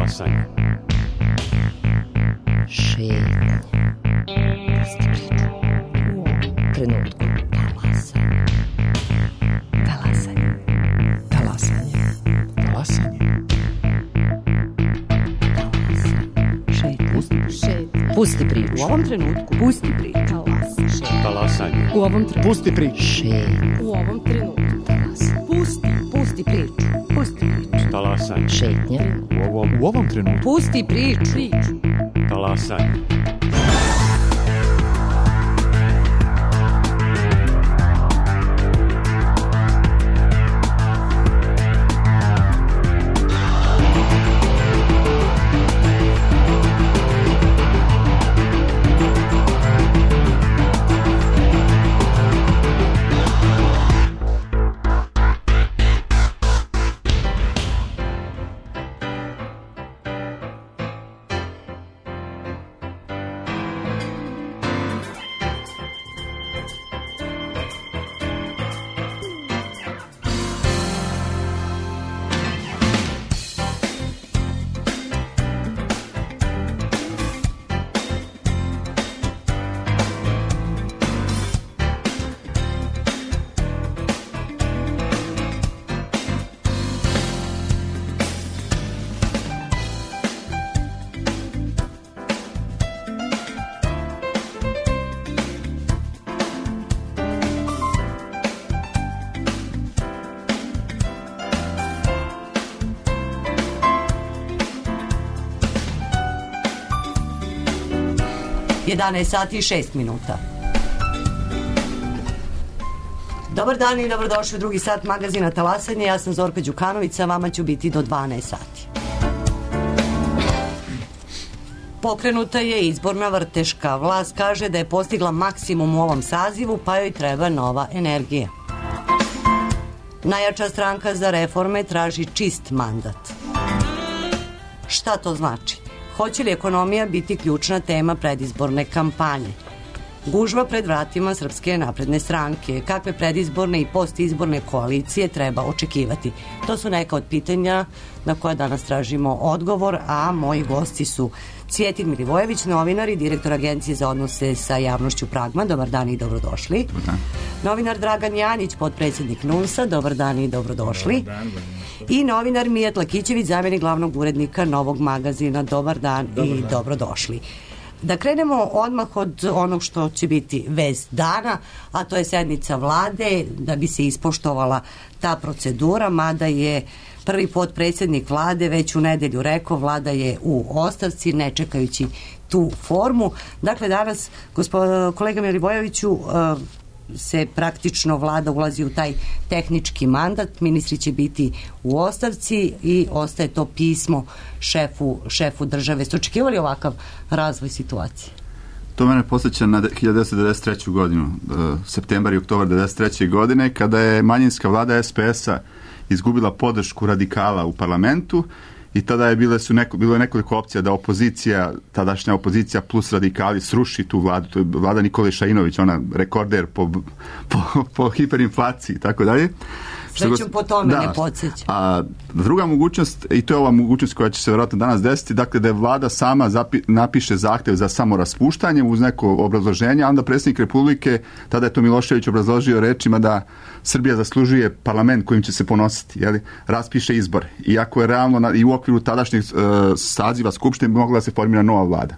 Talasanje. Šetnje. Trenutku. Talasanje. Talasanje. Talasanje. Pusti priču. U ovom trenutku. Pusti priču. Talasanje. U ovom trenutku. Pusti priču. Šetnje. U ovom trenutku. Pusti priču. Pusti priču. Talasanje. Šetnje. U ovom trenutku. Pusti priču. Talasanje. Sati i 6 minuta. Dobar dan i dobrodošli u drugi sat magazina Talasanje. Ja sam Zorka Đukanović, sa vama ću biti do 12 sati. Pokrenuta je izborna vrteška. Vlast kaže da je postigla maksimum u ovom sazivu, pa joj treba nova energija. Najjača stranka za reforme traži čist mandat. Šta to znači? Hoće li ekonomija biti ključna tema predizborne kampanje? Gužva pred vratima Srpske napredne stranke. Kakve predizborne i postizborne koalicije treba očekivati? To su neka od pitanja na koja danas tražimo odgovor, a moji gosti su Cvjetin Milivojević, novinar i direktor Agencije za odnose sa javnošću Pragma. Dobar dan i dobrodošli. Novinar Dragan Janić, potpredsjednik NUNS-a. Dobar dan i dobrodošli. Dobar dan. I novinar Mijat Lakićević, zamjenik glavnog urednika Novog magazina. Dobar dan i dobrodošli. Da krenemo odmah od onog što će biti vest dana, a to je sednica vlade, da bi se ispoštovala ta procedura, mada je prvi potpredsjednik vlade već u nedelju rekao, vlada je u ostavci, ne čekajući tu formu. Dakle, danas, kolega Milivojeviću, se praktično vlada ulazi u taj tehnički mandat, ministri će biti u ostavci i ostaje to pismo šefu države. Ste očekivali ovakav razvoj situacije? To mene posjeća na 1993. godinu, septembar i oktobar 1993. godine, kada je manjinska vlada SPS-a izgubila podršku radikala u parlamentu i tada je bilo je nekoliko opcija da opozicija, tadašnja opozicija plus radikali sruši tu vladu. To je vlada Nikole Šainović, ona rekorder po hiperinflaciji i tako dalje. Sve ću po tome ne podsjeća. A druga mogućnost, i to je ova mogućnost koja će se vjerojatno danas desiti, dakle da je vlada sama napiše zahtjev za samoraspuštanje uz neko obrazloženje, a onda predsjednik Republike, tada je to Milošević obrazložio rečima da Srbija zaslužuje parlament kojim će se ponositi, raspiše izbor. Iako je realno i u okviru tadašnjeg saziva Skupštine bi mogla da se formira nova vlada.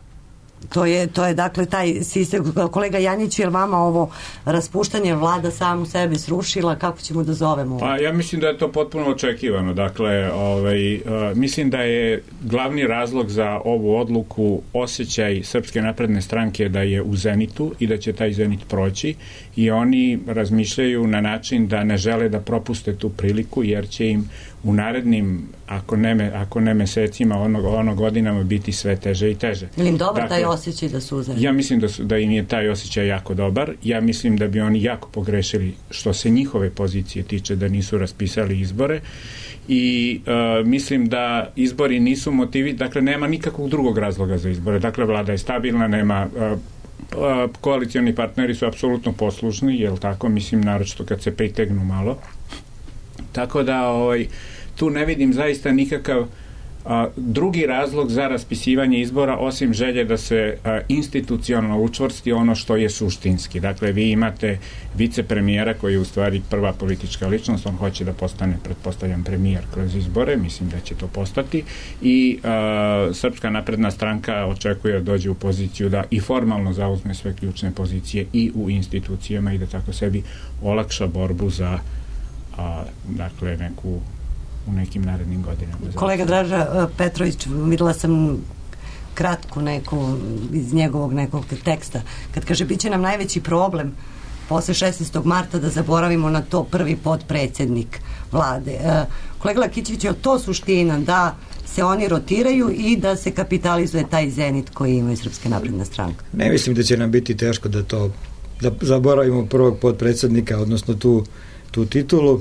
To je dakle taj sistem. Kolega Janjić, je li vama ovo raspuštanje vlada samu sebe srušila? Kako ćemo da zovemo? Pa ja mislim da je to potpuno očekivano. Dakle, mislim da je glavni razlog za ovu odluku osjećaj Srpske napredne stranke da je u zenitu i da će taj zenit proći i oni razmišljaju na način da ne žele da propuste tu priliku jer će im u narednim, ako ne mesecima, ono godinama biti sve teže i teže. Ili im dobar taj osjećaj da su uzeli? Ja mislim da im je taj osjećaj jako dobar. Ja mislim da bi oni jako pogrešili što se njihove pozicije tiče da nisu raspisali izbore i mislim da izbori nisu motivi, dakle nema nikakvog drugog razloga za izbore. Dakle, vlada je stabilna, nema koalicioni partneri su apsolutno poslušni, jel tako, mislim naročito kad se pritegnu malo. Tako da tu ne vidim zaista nikakav Drugi razlog za raspisivanje izbora, osim želje da se institucionalno učvrsti ono što je suštinski. Dakle, vi imate vicepremijera koji je u stvari prva politička ličnost, on hoće da postane, pretpostavljam, premijer kroz izbore, mislim da će to postati, i Srpska napredna stranka očekuje da dođe u poziciju da i formalno zauzme sve ključne pozicije i u institucijama i da tako sebi olakša borbu za dakle u nekim narednim godinama. Kolega Draža Petrović, videla sam kratku neku iz njegovog nekog teksta, kad kaže bit će nam najveći problem posle 16. marta da zaboravimo na to prvi potpredsjednik vlade. Kolega Lakićević, je to suština da se oni rotiraju i da se kapitalizuje taj zenit koji ima Srpska napredna stranka? Ne mislim da će nam biti teško da zaboravimo prvog potpredsjednika, odnosno tu titulu.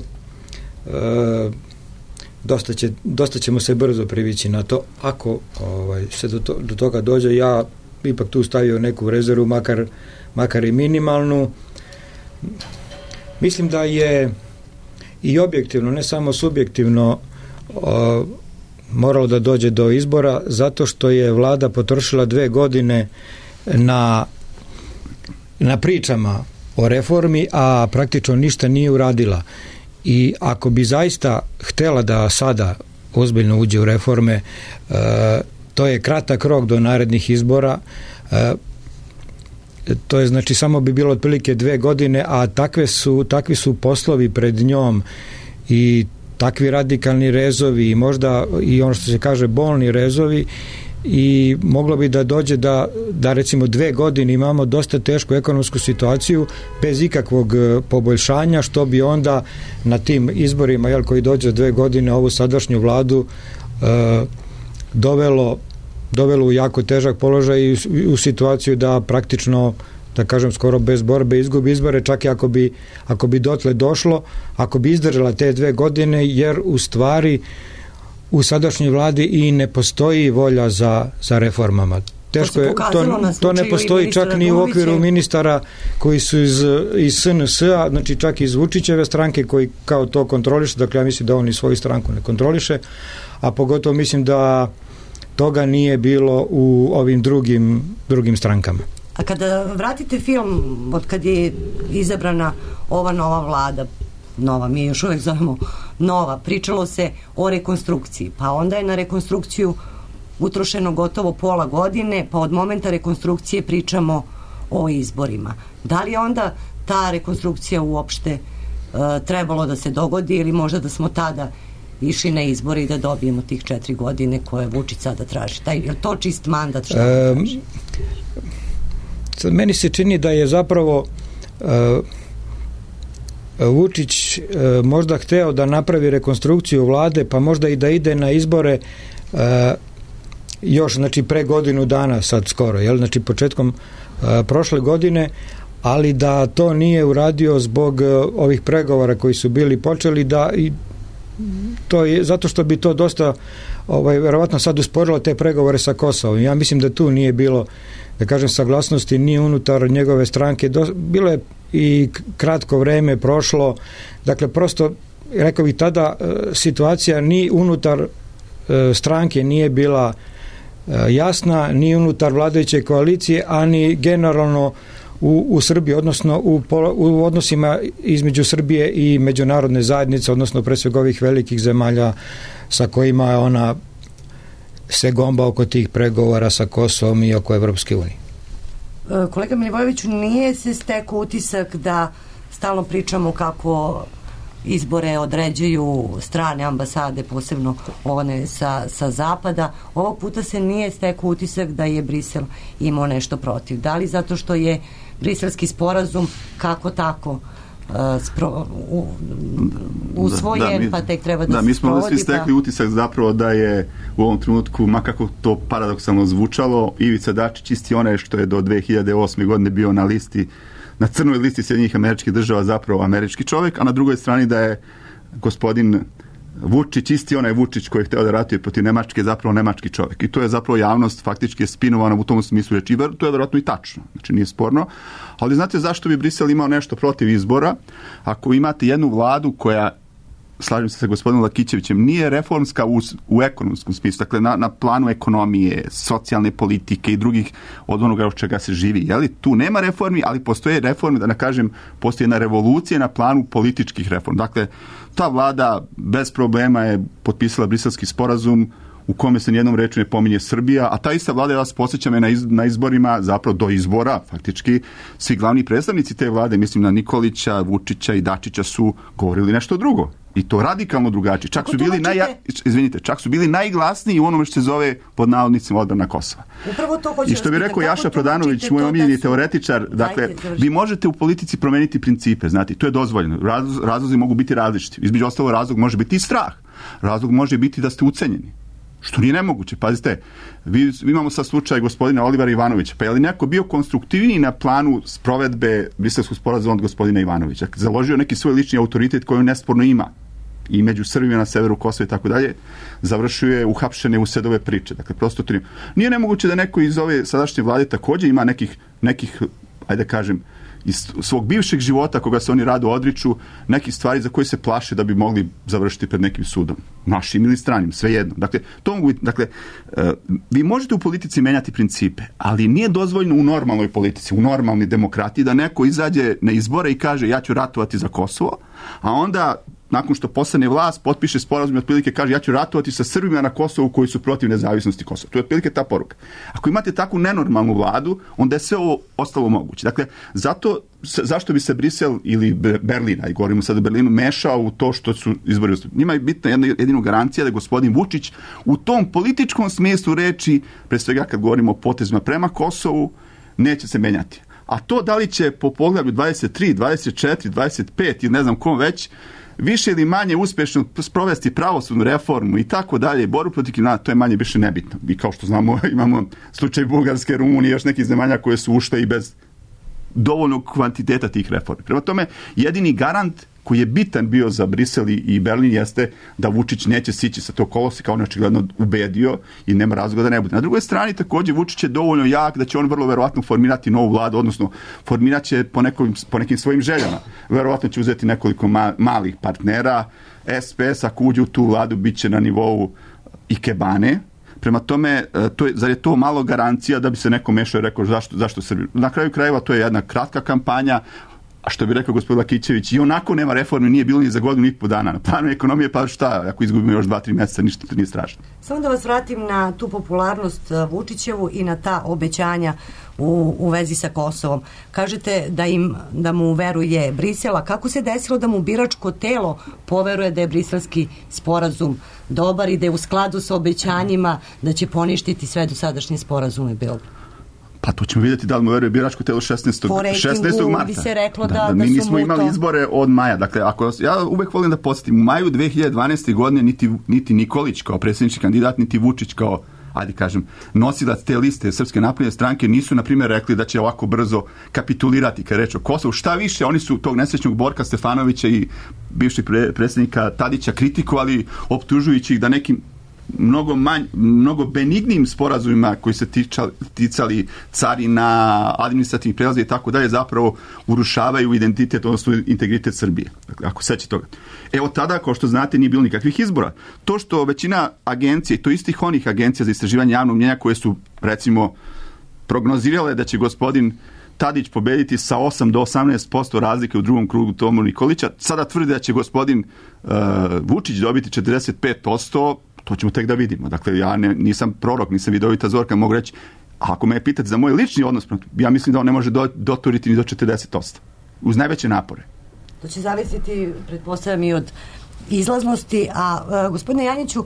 Dosta ćemo se brzo privići na to. Ako se do toga dođe, ja ipak tu stavio neku rezervu, makar i minimalnu. Mislim da je i objektivno, ne samo subjektivno, moralo da dođe do izbora, zato što je vlada potrošila 2 godine na pričama o reformi, a praktično ništa nije uradila. I ako bi zaista htjela da sada ozbiljno uđe u reforme, to je kratak rok do narednih izbora, to je znači samo bi bilo otprilike 2 godine, a takvi su poslovi pred njom i takvi radikalni rezovi i možda i ono što se kaže bolni rezovi, i moglo bi da dođe da recimo 2 godine imamo dosta tešku ekonomsku situaciju bez ikakvog poboljšanja, što bi onda na tim izborima koji dođe 2 godine ovu sadašnju vladu dovelo u jako težak položaj i u situaciju da praktično, da kažem, skoro bez borbe izgubi izbore, čak i ako bi dotle došlo, ako bi izdržala te 2 godine, jer u stvari u sadašnjoj vladi i ne postoji volja za reformama. Teško je, to ne postoji čak ni u okviru ministara koji su iz SNS-a, znači čak iz Vučićeve stranke koji kao to kontroliše, dakle ja mislim da on i svoju stranku ne kontroliše, a pogotovo mislim da toga nije bilo u ovim drugim strankama. A kada vratite film od kad je izabrana ova nova vlada, nova, mi još uvijek zovemo nova, pričalo se o rekonstrukciji, pa onda je na rekonstrukciju utrošeno gotovo pola godine, pa od momenta rekonstrukcije pričamo o izborima. Da li je onda ta rekonstrukcija uopšte trebalo da se dogodi, ili možda da smo tada išli na izbore i da dobijemo tih 4 godine koje Vučić sada traži? Je to čist mandat što traži? Meni se čini da je zapravo Vučić možda hteo da napravi rekonstrukciju vlade, pa možda i da ide na izbore još, znači pre godinu dana sad skoro, znači početkom prošle godine, ali da to nije uradio zbog ovih pregovora koji su bili počeli, to je zato što bi to dosta verovatno sad usporilo te pregovore sa Kosovom. Ja mislim da tu nije bilo, da kažem, saglasnosti ni unutar njegove stranke. Bilo je i kratko vreme prošlo, dakle prosto rekao bih tada situacija ni unutar stranke nije bila jasna, ni unutar vladajuće koalicije, a ni generalno u Srbiji, odnosno u odnosima između Srbije i međunarodne zajednice, odnosno pre svega ovih velikih zemalja sa kojima ona se gomba oko tih pregovora sa Kosovom i oko Evropske unije. Kolega Milivojeviću, nije se stekao utisak da stalno pričamo kako izbore određuju strane ambasade, posebno one sa zapada. Ovog puta se nije stekao utisak da je Brisel imao nešto protiv. Da li zato što je briselski sporazum kako tako usvojen, pa tek treba da se sprovodi? Mi smo svi stekli utisak zapravo da je u ovom trenutku, makako to paradoksalno zvučalo, Ivica Dačić isti onaj što je do 2008. godine bio na crnoj listi Sjedinjenih Američkih Država, zapravo američki čovjek, a na drugoj strani da je gospodin Vučić isti onaj Vučić koji je hteo da ratuje protiv Nemačke, zapravo nemački čovjek. I to je zapravo javnost faktički spinovana u tom smislu reči. To je vjerojatno i tačno, znači nije sporno. Ali znate zašto bi Brisel imao nešto protiv izbora? Ako imate jednu vladu koja slažem se sa gospodinom Lakićevićem, nije reformska u ekonomskom smislu, dakle na planu ekonomije, socijalne politike i drugih od onoga od čega se živi. Jeli? Tu nema reformi, ali postoje reforme, da ne kažem, postoji jedna revolucija na planu političkih reform. Dakle, ta vlada bez problema je potpisala Briselski sporazum u kome se nijednom rečju ne pominje Srbija, a ta ista vlada, ja vas podsjećam, je na izborima, zapravo do izbora, faktički, svi glavni predstavnici te vlade, mislim na Nikolića, Vučića i Dačića, su govorili nešto drugo. I to radikalno drugačije. Čak su bili najglasniji u onome što se zove pod navodnicima odbrana Kosova. I što bi rekao Jaša Prodanović, moj omiljeni teoretičar, dakle, vi možete u politici promeniti principe, znate, to je dozvoljeno. Razlozi mogu biti različiti. Između ostalo, razlog može biti i strah. Razlog može biti da ste ucenjeni. Što nije nemoguće. Pazite, imamo sad slučaj gospodina Olivera Ivanovića. Pa je li neko bio konstruktivniji na planu sprovedbe Briselskog sporazuma od gospodina Ivanovića? Založio neki svoj lični autoritet koji on nesporno ima i među Srbima na severu Kosova i tako dalje, završio je uhapšene u sedove priče. Dakle, prosto to nije nemoguće da neko iz ove sadašnje vlade također ima nekih, ajde kažem, iz svog bivšeg života koga se oni rado odriču, nekih stvari za koje se plaše da bi mogli završiti pred nekim sudom. Našim ili stranim, svejedno. Dakle, vi možete u politici menjati principe, ali nije dozvoljno u normalnoj politici, u normalnoj demokratiji da neko izađe na izbore i kaže ja ću ratovati za Kosovo, a onda nakon što postane vlast, potpiše sporazum i otprilike kaže ja ću ratovati sa Srbima na Kosovu koji su protiv nezavisnosti Kosova. To je otprilike ta poruka. Ako imate takvu nenormalnu vladu, onda je sve ovo ostalo moguće. Dakle, zašto bi se Brisel ili Berlin, a i govorimo sad o Berlinu, mešao u to što su izbori? Njima je bitna jedina garancija da je gospodin Vučić u tom političkom smislu reči, pre svega kad govorimo o potezima prema Kosovu, neće se menjati. A to da li će po poglavlju 23, 24, 25 ili ne znam kom već, više ili manje uspješno sprovesti pravosudnu reformu i tako dalje, borbu protiv kriminala, to je manje više nebitno. I kao što znamo, imamo slučaj Bugarske, Rumunije, još nekih zemalja koje su ušle i bez dovoljnog kvantiteta tih reformi. Prema tome, jedini garant koji je bitan bio za Brisel i Berlin jeste da Vučić neće sići sa tog koloseka, on je očigledno ubedio i nema razloga da ne bude. Na drugoj strani također Vučić je dovoljno jak da će on vrlo verovatno formirati novu vladu, odnosno formirat će po nekim svojim željama. Verovatno će uzeti nekoliko malih partnera. SPS ako uđe u tu vladu bit će na nivou ikebane. Prema tome, zar je to malo garancija da bi se neko mešao i rekao zašto Srbiju? Na kraju krajeva to je jedna kratka kampanja, a što bi rekao gospodin Lakićević, i onako nema reforme, nije bilo ni za godinu i po dana. Na planu ekonomije, pa šta, ako izgubimo još 2-3 mjeseca, ništa to nije strašno. Samo da vas vratim na tu popularnost Vučićevu i na ta obećanja u vezi sa Kosovom. Kažete da mu veruje Brisel, a kako se desilo da mu biračko telo poveruje da je briselski sporazum dobar i da je u skladu sa obećanjima da će poništiti sve dosadašnje sporazume Beograda? Pa to ćemo vidjeti da li mu veruje biračko telo 16. marta. Bi se reklo da mi nismo imali izbore od maja. Dakle, ja uvek volim da podsjetim, u maju 2012. godine niti Nikolić kao predsjednički kandidat, niti Vučić kao, ajde kažem, nosilac te liste Srpske napredne stranke nisu, na primjer, rekli da će ovako brzo kapitulirati kad reč o Kosovu. Šta više, oni su tog nesrećnog Borka Stefanovića i bivšeg predsjednika Tadića kritikovali, optužujući ih da nekim mnogo benignim sporazumima koji se ticali carina, administrativnih prelaza i tako dalje, zapravo urušavaju identitet, odnosno integritet Srbije. Dakle, ako sećate toga. Evo tada, kao što znate, nije bilo nikakvih izbora. To što većina agencija, i to istih onih agencija za istraživanje javnog mnjenja koje su, recimo, prognozirale da će gospodin Tadić pobediti sa 8 do 18% razlike u drugom krugu Tomu Nikolića, sada tvrde da će gospodin Vučić dobiti 45%, to ćemo tek da vidimo. Dakle, ja nisam prorok, nisam vidovita Zorka, mogu reći, ako me pitati za moj lični odnos, ja mislim da on ne može doturiti ni do 40%. Uz najveće napore. To će zavisiti, pretpostavljam, i od izlaznosti, a gospodine Janjiću,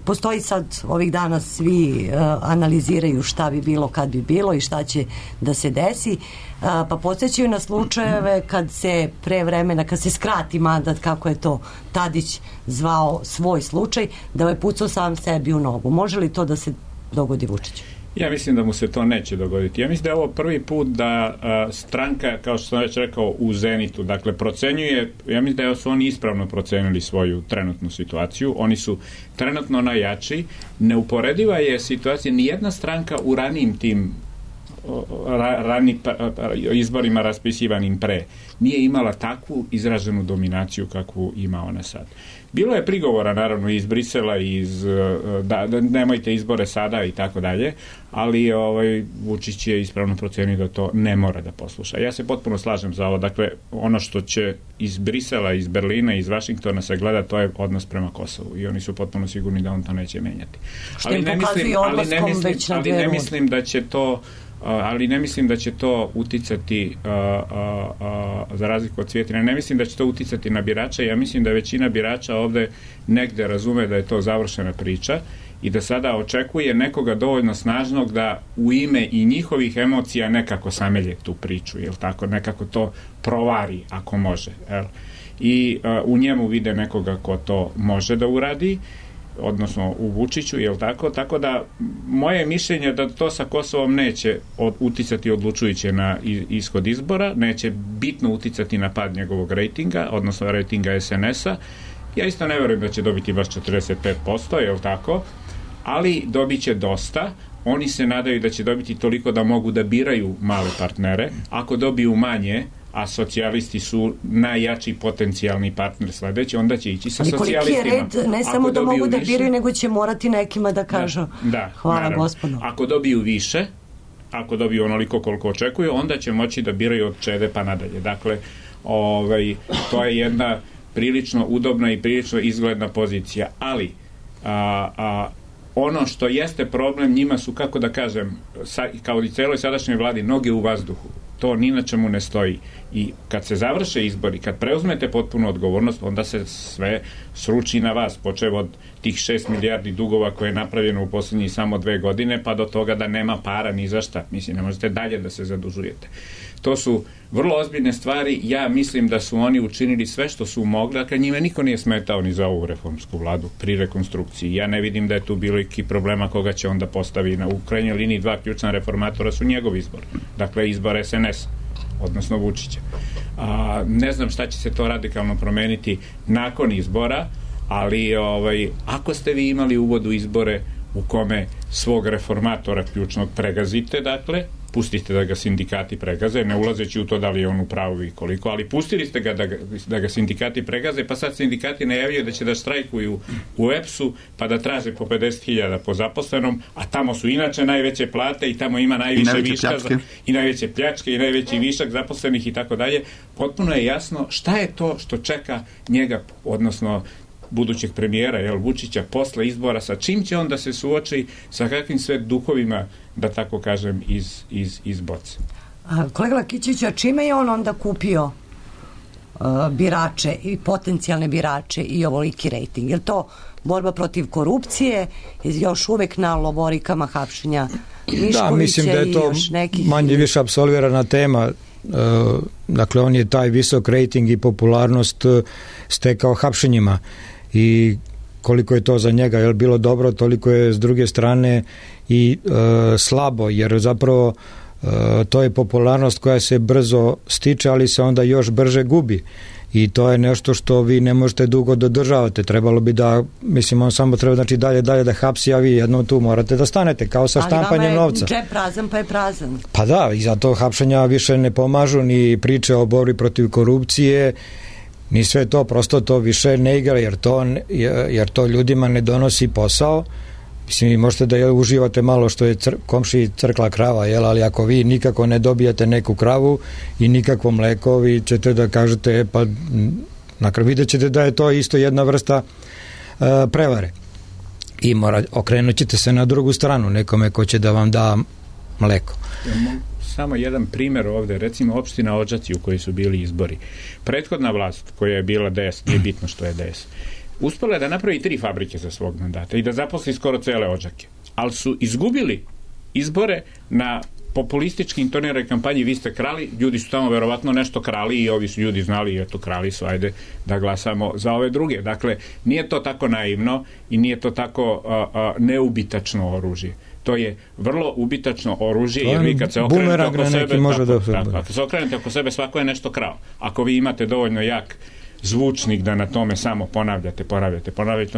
postoji sad ovih dana svi analiziraju šta bi bilo kad bi bilo i šta će da se desi, pa podsjećaju na slučajeve kad se pre vremena, kad se skrati mandat, kako je to Tadić zvao svoj slučaj, da je pucao sam sebi u nogu. Može li to da se dogodi Vučiću? Ja mislim da mu se to neće dogoditi. Ja mislim da je ovo prvi put da stranka, kao što sam već rekao, u zenitu, dakle procenjuje, ja mislim da su oni ispravno procenili svoju trenutnu situaciju, oni su trenutno najjači, neuporediva je situacija, nijedna stranka u ranijim tim izborima raspisivanim pre, nije imala takvu izraženu dominaciju kakvu ima ona sad. Bilo je prigovora naravno iz Brisela, da nemojte izbore sada i tako dalje, ali Vučić je ispravno procenio da to ne mora da posluša. Ja se potpuno slažem za ovo. Dakle, ono što će iz Brisela, iz Berlina, iz Vašingtona se gleda, to je odnos prema Kosovu i oni su potpuno sigurni da on to neće menjati. Ali ne mislim da će to uticati za razliku od Cvjetine, ne mislim da će to uticati na birače. Ja mislim da većina birača ovde negde razume da je to završena priča i da sada očekuje nekoga dovoljno snažnog da u ime i njihovih emocija nekako samelje tu priču, jel tako, nekako to provari ako može, jel? I u njemu vide nekoga ko to može da uradi, odnosno u Vučiću, jel tako? Tako da moje mišljenje da to sa Kosovom neće uticati odlučujuće na ishod izbora, neće bitno uticati na pad njegovog rejtinga, odnosno rejtinga SNS-a. Ja isto ne verujem da će dobiti baš 45%, jel tako? Ali dobit će dosta. Oni se nadaju da će dobiti toliko da mogu da biraju male partnere. Ako dobiju manje, a socijalisti su najjači potencijalni partner sledeći, onda će ići sa socijalistima. Ali koliki je red, ne samo da mogu da biraju, nego će morati nekima da kažu hvala naravno. Gospodu. Ako dobiju više, ako dobiju onoliko koliko očekuju, onda će moći da biraju od Čede pa nadalje. Dakle, to je jedna prilično udobna i prilično izgledna pozicija. Ali, ono što jeste problem njima su, kako da kažem, kao i celoj sadašnjoj vladi, noge u vazduhu. To ni na čemu ne stoji. I kad se završe izbori, kad preuzmete potpunu odgovornost, onda se sve sruči na vas, počev od tih 6 milijardi dugova koje je napravljeno u poslednjih samo 2 godine, pa do toga da nema para ni za šta. Mislim, ne možete dalje da se zadužujete. To su vrlo ozbiljne stvari. Ja mislim da su oni učinili sve što su mogli, dakle njima niko nije smetao ni za ovu reformsku vladu pri rekonstrukciji. Ja ne vidim da je tu bilo i problema koga će onda postavi u krajnjoj liniji. 2 ključna reformatora su njegov izbor. Dakle, izbor SNS, odnosno Vučića. Ne znam šta će se to radikalno promeniti nakon izbora, ali ako ste vi imali uvod u izbore u kome svog reformatora ključnog pregazite, dakle, pustite da ga sindikati pregaze, ne ulazeći u to da li je on u pravu i koliko, ali pustili ste ga da ga sindikati pregaze, pa sad sindikati najavljaju da će da štrajkuju u EPS-u, pa da traže po 50.000 po zaposlenom, a tamo su inače najveće plate i tamo ima najviše viška i najveće pljačke i najveći višak zaposlenih i tako dalje. Potpuno je jasno šta je to što čeka njega, odnosno budućeg premijera, Vučića, posle izbora, sa čim će on da se suoči, sa kakvim sve duhovima, da tako kažem, iz boce. Kolega Lakićević, a čime je on onda kupio birače i potencijalne birače i ovoliki rejting? Je li to borba protiv korupcije, još uvek na lovorikama hapšenja Miškovića? Da, mislim da je to manje više apsolvirana tema. Dakle, on je taj visok rejting i popularnost stekao hapšenjima i koliko je to za njega bilo dobro, toliko je s druge strane i slabo, jer zapravo to je popularnost koja se brzo stiče, ali se onda još brže gubi. I to je nešto što vi ne možete dugo dodržavate. Trebalo bi da, mislim, on samo treba dalje da hapsi, a vi jednom tu morate da stanete, kao sa štampanjem novca. Ali vama je džep prazan, pa je prazan. Pa da, i zato hapšenja više ne pomažu, ni priče o borbi protiv korupcije, ni sve to, prosto to više ne igra, jer to ljudima ne donosi posao. Mislim, vi možete da uživate malo što je komšiji crkla krava, ali ako vi nikako ne dobijete neku kravu i nikakvo mleko, vi ćete da kažete, pa vidjet ćete da je to isto jedna vrsta prevare. I okrenut ćete se na drugu stranu, nekome ko će da vam da mleko. Samo jedan primer ovde, recimo opština Odžaci u kojoj su bili izbori. Prethodna vlast koja je bila DS, nije bitno što je DS, uspela je da napravi 3 fabrike za svog mandata i da zaposli skoro cele Odžake. Ali su izgubili izbore na populistički intoniranoj kampanji vi ste krali, ljudi su tamo verovatno nešto krali i ovi su ljudi znali, eto krali su, ajde da glasamo za ove druge. Dakle, nije to tako naivno i nije to tako neubitačno oružje. To je vrlo ubitačno oružje, jer vi kad se okrenete oko sebe, ako se okrenete oko sebe, svako je nešto krao. Ako vi imate dovoljno jak zvučnik da na tome samo ponavljate,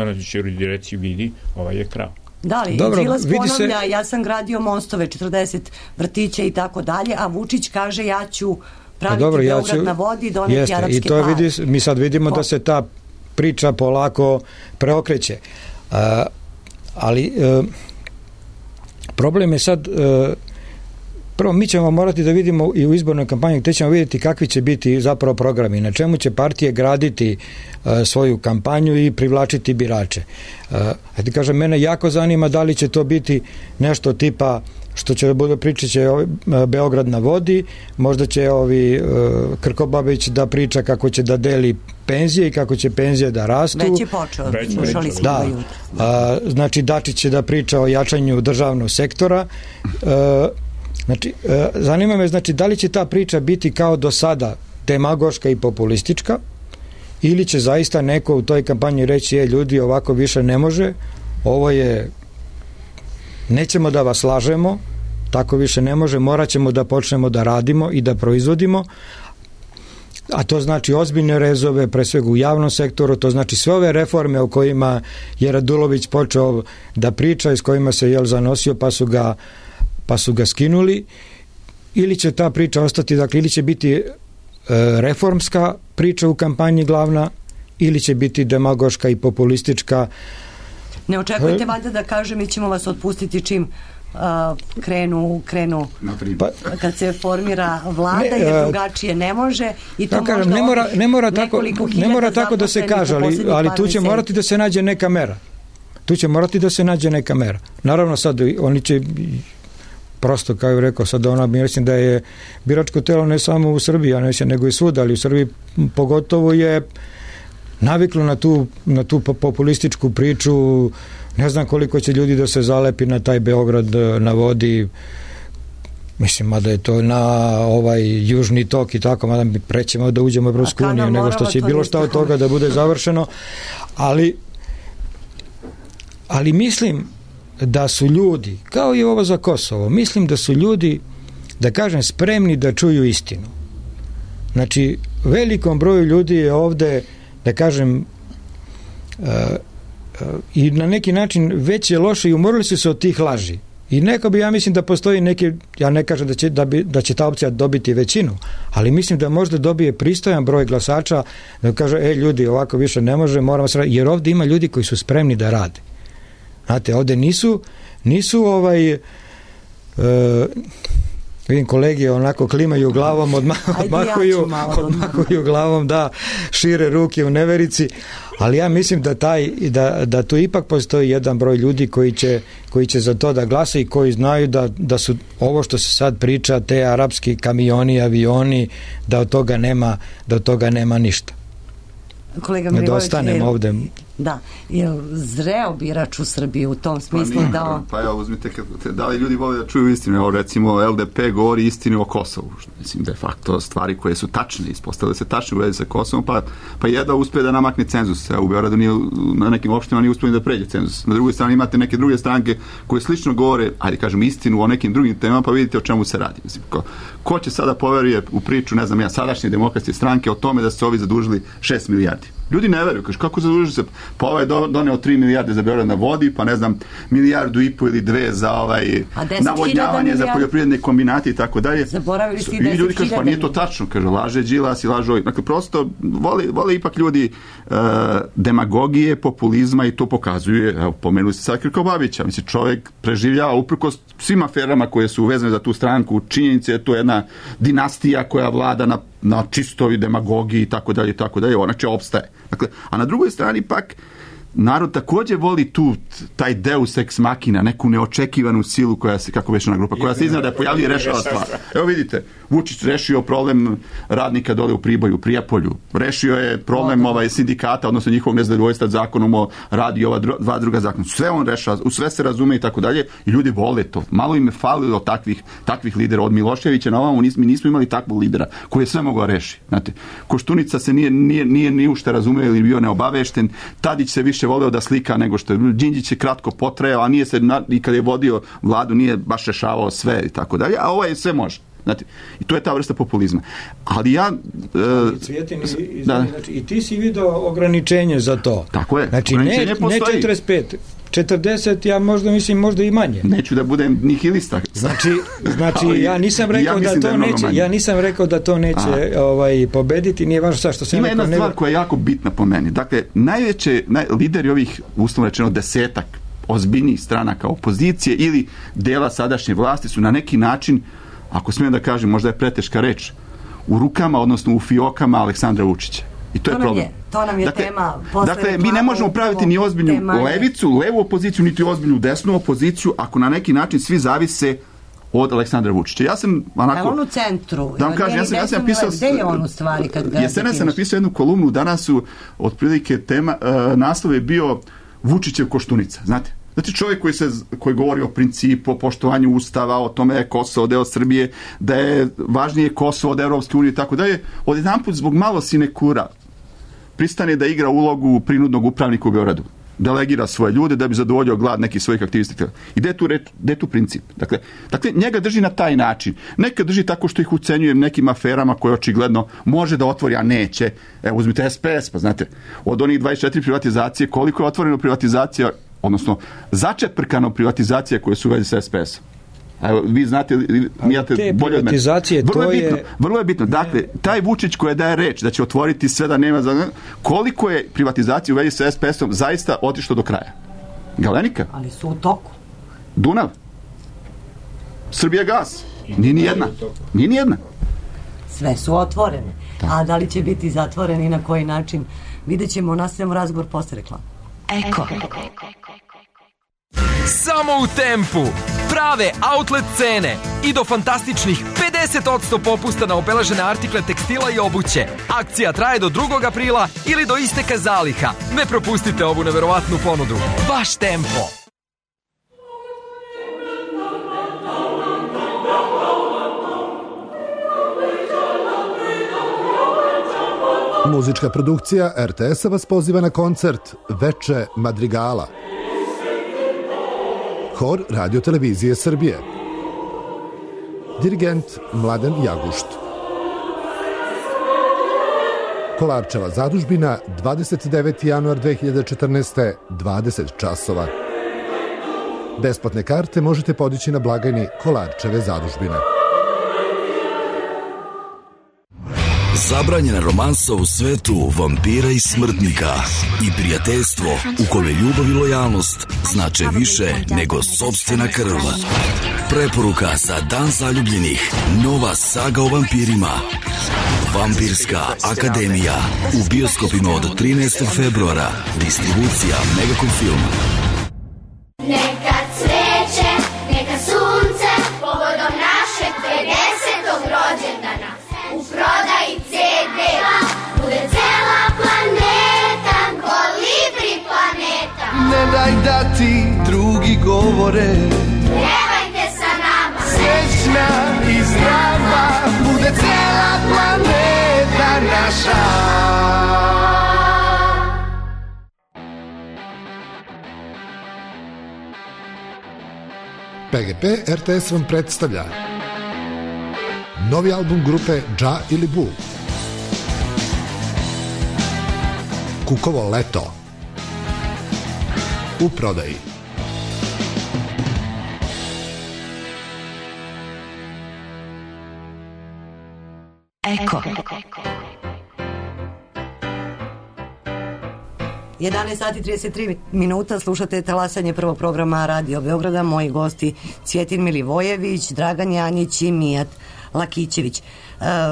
onda će ljudi reći, vidi, ovaj je krao. Da li, Dobro, Đilas vidi ponavlja, se- ja sam gradio mostove, 40 vrtića i tako dalje, a Vučić kaže ja ću praviti Beograd na vodi i doneti arapske i to pare. mi sad vidimo da se ta priča polako preokreće. Ali problem je sad prvo mi ćemo morati da vidimo i u izbornoj kampanji gde ćemo vidjeti kakvi će biti zapravo programi, na čemu će partije graditi svoju kampanju i privlačiti birače. Hajde kažem, mene jako zanima da li će to biti nešto tipa što će da bude priča će Beograd na vodi, možda će Krkobabić da priča kako će da deli penzije i kako će penzije da rastu. Već je počeo, slušali smo da. jutro. Znači Dačić će da priča o jačanju državnog sektora. Znači, zanima me, znači, da li će ta priča biti kao do sada demagoška i populistička ili će zaista neko u toj kampanji reći ljudi, ovako više ne može, ovo je nećemo da vas lažemo, tako više ne može, morat ćemo da počnemo da radimo i da proizvodimo, a to znači ozbiljne rezove, pre svega u javnom sektoru, to znači sve ove reforme o kojima je Radulović počeo da priča i s kojima se zanosio pa su ga skinuli, ili će ta priča ostati, dakle, ili će biti reformska priča u kampanji glavna, ili će biti demagoška i populistička. Ne očekujete valjda da kaže mi ćemo vas otpustiti čim krenu kad se formira vlada, jer drugačije ne može i to kažem, ne mora tako da se kaže, ali tu će morati da se nađe neka mera. Naravno sad oni će prosto, kao je rekao sad mislim da je biračko telo ne samo u Srbiji, nego i svuda, ali u Srbiji pogotovo je naviklo na tu populističku priču. Ne znam koliko će ljudi da se zalepi na taj Beograd na vodi, mislim, mada je to na južni tok i tako, mada mi prećemo da uđemo u Evropsku uniju nego što će bilo šta od toga da bude završeno, ali mislim da su ljudi, kao i ovo za Kosovo, mislim da su ljudi, da kažem, spremni da čuju istinu. Znači, velikom broju ljudi je ovde, da kažem, i na neki način već je loše i umorili su se od tih laži. I neko bi, ja mislim da postoji neki, ja ne kažem da će ta opcija dobiti većinu, ali mislim da možda dobije pristojan broj glasača da kaže, ljudi, ovako više ne može, moramo se raditi, jer ovde ima ljudi koji su spremni da rade. Znate, ovde nisu vidim kolege onako klimaju glavom, odmahuju glavom, da šire ruke u neverici, ali ja mislim da tu ipak postoji jedan broj ljudi koji će za to da glasa i koji znaju da su ovo što se sad priča, te arapski kamioni, avioni, da od toga nema ništa. Kolega ne da ostanem ovde. Da, je zreo birač u Srbiji u tom smislu Pa evo, uzmite, da li ljudi vole da čuju istinu? Evo, recimo, LDP govori istinu o Kosovu. Mislim, de facto, stvari koje su tačne, ispostavile se tačne u vezi sa Kosovom, pa jedva uspe da namakne cenzus. Evo, u Beogradu na nekim opštinama nije uspio da pređe cenzus. Na drugoj strani imate neke druge stranke koje slično govore, ajde kažem, istinu o nekim drugim temama, pa vidite o čemu se radi. Mislim, ko će sada poveruje u priču, ne znam ja, sadašnje demokratske stranke o tome da su ovi zadužili 6 milijardi. Ljudi ne veruju, kaže, kako zadužili se? Pa ovaj je doneo 3 milijarde za Beograd na vodi, pa ne znam, 1,5 milijardu ili 2 za navodnjavanje, za poljoprivredne kombinate i tako dalje. Zaboravili ste i 10.000. I ljudi kažu, pa nije to tačno, kaže, laže Đilas i laže ovi. Dakle, prosto vole ipak ljudi demagogije, populizma i to pokazuje, evo, pomenuli ste sad Krkobabića, mislim, čovjek preživljava uprkos svim aferama koje su vezane za tu stranku, činjenice je to jedna dinastija koja vlada na čistovi demagogiji i tako dalje, ona će opstaje. Dakle, a na drugoj strani pak narod također voli taj deus ex machina, neku neočekivanu silu koja se, kako već ona grupa, koja se iznada pojavlja i rešava stvar. Evo vidite, Vučić rešio problem radnika dole u Priboju, u Prijepolju, rešio je problem sindikata, odnosno njihovog nezadovoljstva zakonom o radi ova dva druga zakona. Sve on rešava, u sve se razume i tako dalje i ljudi vole to. Malo im je falilo takvih lidera. Od Miloševića na ovamo mi nismo imali takvog lidera koji je sve mogao reši. Znate, Koštunica se nije ni ušte razumeo ili bio neobavešten, Tadić se više voleo da slika nego što je. Đinđić je kratko potrajao, a nije se i kad je vodio vladu nije baš rešavao sve i tako dalje, a ovo je sve može. Znate, i to je ta vrsta populizma. Ali ja... Cvijetin, znači, i ti si vidio ograničenje za to. Tako je. Znači, ne 45. 40, ja možda mislim možda i manje. Neću da budem nihilista. Znači ja nisam rekao ja nisam rekao da to neće pobediti, nije važno sad što sam ima rekao. Ima jedna stvar koja je jako bitna po meni. Dakle, lideri ovih, uslovno rečeno, 10 ozbiljnijih stranaka opozicije ili dela sadašnje vlasti su na neki način, ako smijem da kažem, možda je preteška reč, u rukama, odnosno u fiokama Aleksandra Vučića. I to je problem. To nam je tema. Dakle, mi ne možemo praviti ni ozbiljnu levu opoziciju, niti ozbiljnu desnu opoziciju, ako na neki način svi zavise od Aleksandra Vučića. Ja sam onako... on u centru? Da vam kažem, ja sam napisao... Gde je on u stvari kad ga... Jesena sam napisao jednu kolumnu, danas su otprilike tema, naslov je bio Vučićev Koštunica, znate? Znači čovjek koji govori o principu, o poštovanju Ustava, o tome da je Kosovo deo Srbije, da je važnije Kosovo od Evropske unije i tako dalje, odjedanput zbog malo sinekura pristane da igra ulogu prinudnog upravnika u Beogradu. Delegira svoje ljude da bi zadovoljio glad nekih svojih aktivista. I gde je tu princip? Dakle, njega drži na taj način. Neka drži tako što ih ucenjuje nekim aferama koje očigledno može da otvori, a neće. Evo, uzmite SPS, pa znate, od onih 24 privatizacije, koliko je otvoreno privatizacija, odnosno začeprkano privatizacija koje su u vezi sa SPS-om. Evo, vi znate, mijate bolje od mene. Vrlo je bitno. Dakle, taj Vučić koji daje reč da će otvoriti sve da nema koliko je privatizacija u vezi sa SPS-om zaista otišlo do kraja? Galenika? Ali su u toku. Dunav? Srbijagas? Nije ni jedna. Sve su otvorene. Da. A da li će biti zatvoreni i na koji način? Vidjet ćemo, nastavljamo razgovor posle reklama. Eko. Samo u Tempu. Prave outlet cene i do fantastičnih 50% popusta na obeležene artikle tekstila i obuće. Akcija traje do 2. aprila ili do isteka zaliha. Ne propustite ovu neverovatnu ponudu. Baš Tempo. Muzička produkcija RTS-a vas poziva na koncert Veče Madrigala. Hor Radio-televizije Srbije. Dirigent Mladen Jagušt. Kolarčeva zadužbina, 29. januar 2014. 20 časova. Besplatne karte možete podići na blagajni Kolarčeve zadužbine. Zabranjena romansa u svetu vampira i smrtnika i prijateljstvo u kome ljubav i lojalnost znače više nego sopstvena krv. Preporuka za Dan zaljubljenih. Nova saga o vampirima. Vampirska akademija. U bioskopima od 13. februara. Distribucija Megacom Film. Neka cveće, neka sunce, povodom našeg 50. rođendana. U prodaji CD-a bude cela planeta, Kolibri planeta. Ne daj da ti drugi govore, pjevajte sa nama. Srećna i zdrava bude cela planeta naša. PGP RTS vam predstavlja novi album grupe Dža ili Bu. Kukovo leto. U prodaji. Eko. 11 sati 33 minuta, slušate talasanje prvog programa Radio Beograda. Moji gosti Cvjetin Milivojević, Dragan Janjić i Mijat Lakićević.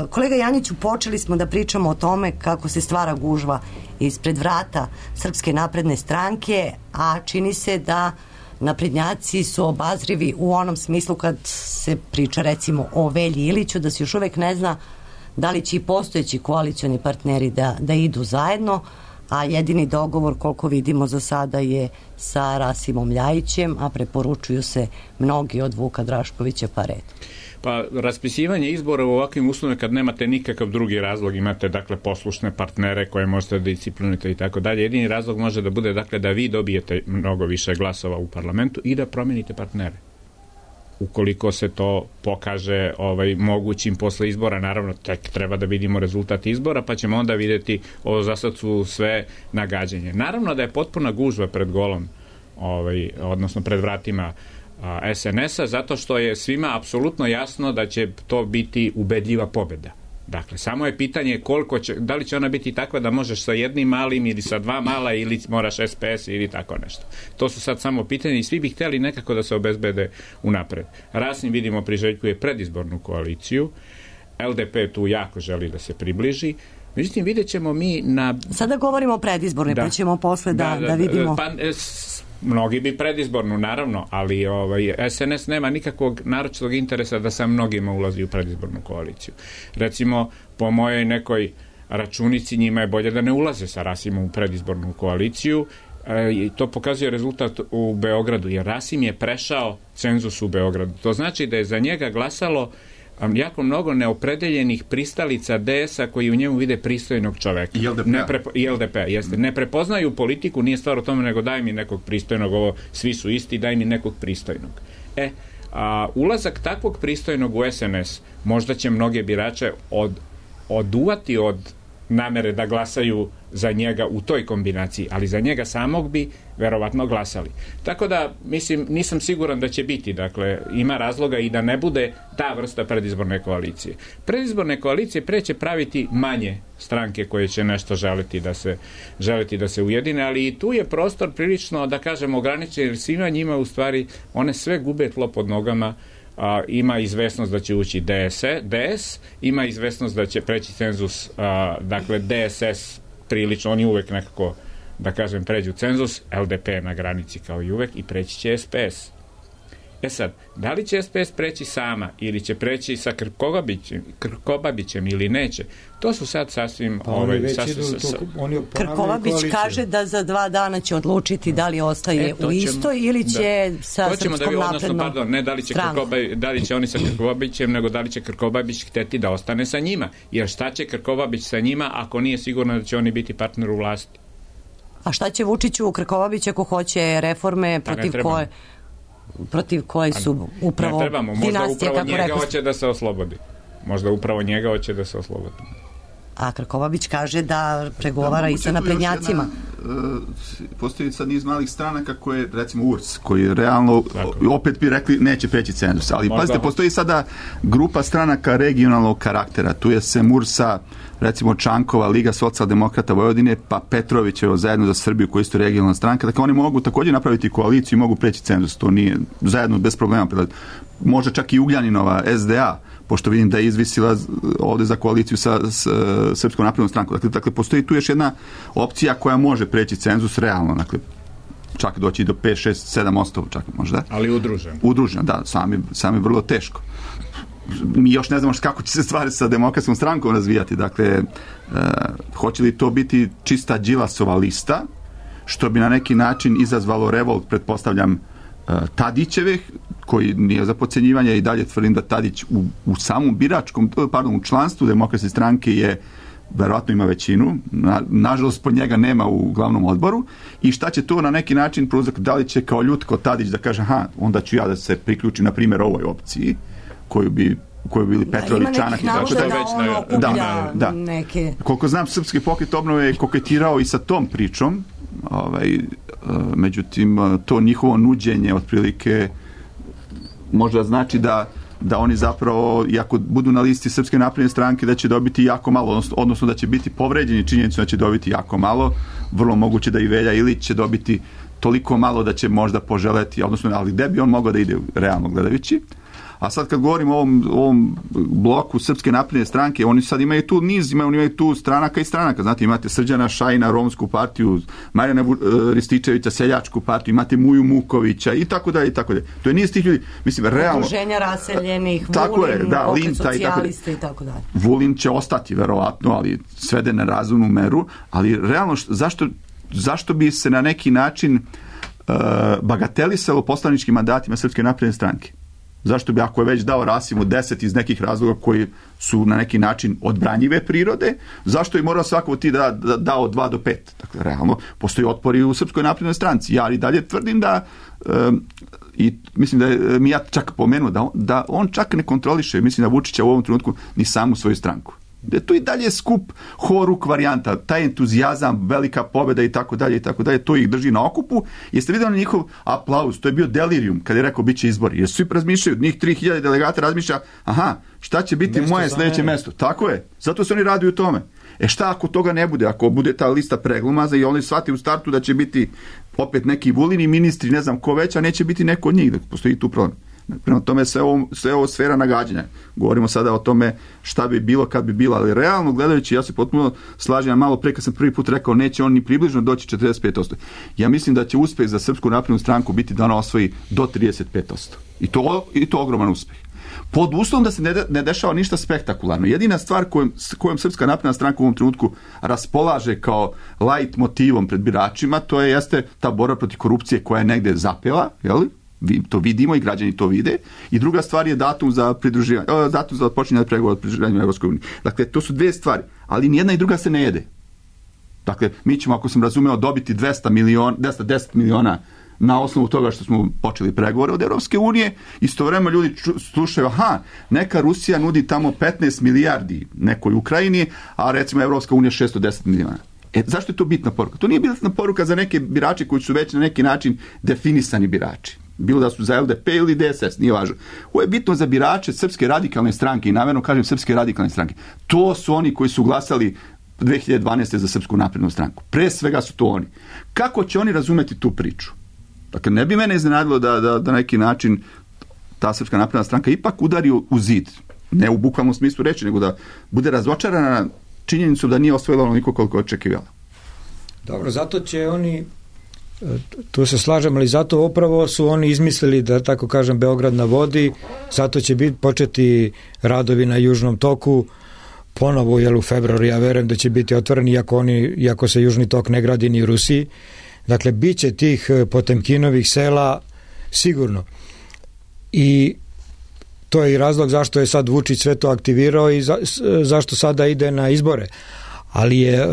Kolega Janjiću, počeli smo da pričamo o tome kako se stvara gužva ispred vrata Srpske napredne stranke, a čini se da naprednjaci su obazrivi u onom smislu kad se priča recimo o Velji Iliću, da se još uvek ne zna da li će i postojeći koalicioni partneri da idu zajedno, a jedini dogovor koliko vidimo za sada je sa Rasimom Ljajićem, a preporučuju se mnogi od Vuka Draškovića pa red. Pa raspisivanje izbora u ovakvim uslovima kad nemate nikakav drugi razlog, imate dakle poslušne partnere koje možete da disciplinujete i tako dalje. Jedini razlog može da bude dakle da vi dobijete mnogo više glasova u parlamentu i da promenite partnere. Ukoliko se to pokaže mogućim posle izbora, naravno tek treba da vidimo rezultat izbora, pa ćemo onda vidjeti, ovo za sad su sve nagađanje. Naravno da je potpuna gužva pred golom odnosno pred vratima SNS-a, zato što je svima apsolutno jasno da će to biti ubedljiva pobjeda. Dakle, samo je pitanje da li će ona biti takva da možeš sa jednim malim ili sa dva mala ili moraš SPS ili tako nešto. To su sad samo pitanje i svi bi htjeli nekako da se obezbede unapred. Rasim, vidimo, priželjkuje predizbornu koaliciju, LDP tu jako želi da se približi. Međutim, vidjet ćemo mi Sada govorimo o predizbornoj, pa ćemo posle da vidimo... Mnogi bi predizbornu, naravno, ali SNS nema nikakvog naročitog interesa da sa mnogima ulazi u predizbornu koaliciju. Recimo, po mojoj nekoj računici, njima je bolje da ne ulaze sa Rasimom u predizbornu koaliciju. To pokazuje rezultat u Beogradu, jer Rasim je prešao cenzus u Beogradu. To znači da je za njega glasalo jako mnogo neopredeljenih pristalica DS-a koji u njemu vide pristojnog čoveka. I LDP, jeste. Ne prepoznaju politiku, nije stvar o tome, nego daj mi nekog pristojnog, svi su isti, daj mi nekog pristojnog. Ulazak takvog pristojnog u SNS možda će mnoge birače oduvati od namere da glasaju za njega u toj kombinaciji, ali za njega samog bi verovatno glasali. Tako da, mislim, nisam siguran da će biti, dakle, ima razloga i da ne bude ta vrsta predizborne koalicije. Predizborne koalicije preće praviti manje stranke koje će nešto želiti da se ujedine, ali i tu je prostor prilično, da kažemo, ograničen, jer svima njima u stvari one sve gube tlo pod nogama. Ima izvesnost da će ući DS, ima izvesnost da će preći cenzus, dakle DSS prilično, oni uvek nekako, da kažem, pređu cenzus, LDP na granici kao i uvek i preći će SPS. Sad, da li će SPS preći sama ili će preći sa Krkobabićem ili neće, to su sad sasvim... Krkobabić kaže da za 2 dana će odlučiti da li ostaje u istoj ili će sa Srpskom naprednom ne da li će oni sa Krkobabićem, nego da li će Krkobabić hteti da ostane sa njima. Jer šta će Krkobabić sa njima ako nije sigurno da će oni biti partner u vlasti? A šta će Vučiću Krkobabić ako hoće reforme protiv koje su upravo dinastije, kako rekao. Možda upravo njega hoće da se oslobodi. A Krkobabić kaže da pregovara i sa naprednjacima. Postoji sad niz malih stranaka koje, recimo URS, koji realno opet bi rekli neće preći cenzus, ali pazite, postoji sada grupa stranaka regionalnog karaktera, tu je sem URS-a, recimo Čankova, Liga socijaldemokrata Vojvodine, pa Petrovićevo zajedno za Srbiju koji isto regionalna stranka, dakle oni mogu također napraviti koaliciju i mogu preći cenzus, to nije zajedno bez problema. Možda čak i Ugljaninova SDA, pošto vidim da je izvisila ovdje za koaliciju sa Srpskom naprednom strankom. Dakle, postoji tu još jedna opcija koja može preći cenzus realno, dakle, čak doći do 5, 6, 7%, čak možda. Ali udruženo. Udruženo, da, sami vrlo teško. Mi još ne znamo kako će se stvari sa Demokratskom strankom razvijati, dakle, hoće li to biti čista Đilasova lista, što bi na neki način izazvalo revolt, pretpostavljam, Tadićevih, koji nije za podcenjivanje, i dalje tvrdim da Tadić u samom u članstvu Demokratske stranke je, verovatno ima većinu, nažalost pod njega nema u glavnom odboru, i šta će to na neki način prouzrokovati, da li će kao Ljutko Tadić da kaže, onda ću ja da se priključim na primjer ovoj opciji koju bi bili Petrović, Čanak i tako da. Neke... Koliko znam, Srpski pokret obnove je koketirao i sa tom pričom, međutim to njihovo nuđenje otprilike možda znači da oni zapravo, iako budu na listi Srpske napredne stranke, da će dobiti jako malo, odnosno da će biti povređeni činjenicom da će dobiti jako malo, vrlo moguće da i Velja Ilić će dobiti toliko malo da će možda poželeti, odnosno, ali gde bi on mogao da ide realno gledajući. A sad kad govorimo o ovom bloku Srpske napredne stranke, oni sad imaju tu niz, imaju tu stranaka i stranaka. Znate, imate Srđana Šajina, Romsku partiju, Marijana Rističevića, Seljačku partiju, imate Muju Mukovića i tako dalje, i tako dalje. To je niz tih ljudi, mislim, realno... Udruženja raseljenih, Vulin, pokret socijalista i tako dalje. Vulin će ostati, verovatno, ali svede na razumnu meru, ali realno, zašto bi se na neki način bagatelisalo poslaničkim mandatima Srpske napredne stranke? Zašto bi, ako je već dao Rasimu 10 iz nekih razloga koji su na neki način odbranjive prirode, zašto je morao svako od ti dao 2 do 5? Dakle, realno, postoji otpor i u Srpskoj naprednoj stranci. Ja i dalje tvrdim da, i mislim da je Mijat čak pomenuo, da on čak ne kontroliše, mislim da Vučića u ovom trenutku ni samu svoju stranku. Da je to i dalje skup horuk varijanta, taj entuzijazam, velika pobjeda i tako dalje, to ih drži na okupu. Jeste vidjeli njihov aplauz, to je bio delirium kad je rekao bit će izbori, jer svi razmišljaju, njih 3000 delegata razmišlja, aha, šta će biti moje sljedeće mesto? Tako je, zato se oni raduju tome. Šta ako toga ne bude, ako bude ta lista preglumaza i oni shvati u startu da će biti opet neki Vulini ministri, ne znam ko već, a neće biti neko od njih, da postoji tu problem. Prema tome sve ovo sfera nagađanja. Govorimo sada o tome šta bi bilo kad bi bilo, ali realno gledajući, ja se potpuno slažem, malo pre kad sam prvi put rekao neće on ni približno doći 45%. Ja mislim da će uspeh za Srpsku naprednu stranku biti da ona osvoji do 35%. I to ogroman uspeh. Pod uslovom da se ne dešava ništa spektakularno. Jedina stvar kojom Srpska napredna stranka u ovom trenutku raspolaže kao light motivom pred biračima, to jeste ta borba protiv korupcije koja je negde zapela, jel? To vidimo i građani to vide. I druga stvar je datum za počinjanje pregovora o pridruživanju Evropskoj uniji. Dakle, to su dve stvari, ali nijedna i druga se ne jede. Dakle, mi ćemo, ako sam razumeo, dobiti 210 miliona na osnovu toga što smo počeli pregovore od Evropske unije. Istovremeno ljudi slušaju, neka Rusija nudi tamo 15 milijardi nekoj Ukrajini, a recimo Evropska unija 610 miliona. Zašto je to bitna poruka? To nije bitna poruka za neke birače koji su već na neki način definisani birači. Bilo da su za LDP ili DSS, nije važno. Ovo je bitno za birače Srpske radikalne stranke i namjerno kažem Srpske radikalne stranke. To su oni koji su glasali 2012. za Srpsku naprednu stranku. Pre svega su to oni. Kako će oni razumeti tu priču? Dakle, ne bi mene iznenadilo da na neki način ta Srpska napredna stranka ipak udari u zid. Ne u bukvalnom smislu reći, nego da bude razočarana činjenicu da nije osvojila onoliko koliko očekivala. Dobro, zato će oni, tu se slažem, ali zato upravo su oni izmislili, da tako kažem, Beograd na vodi, zato će početi radovi na Južnom toku, ponovo u februaru, ja verujem da će biti otvoreni, iako se Južni tok ne gradi ni u Rusiji. Dakle, bit će tih Potemkinovih sela sigurno. I to je i razlog zašto je sad Vučić sve to aktivirao i zašto sada ide na izbore. Ali je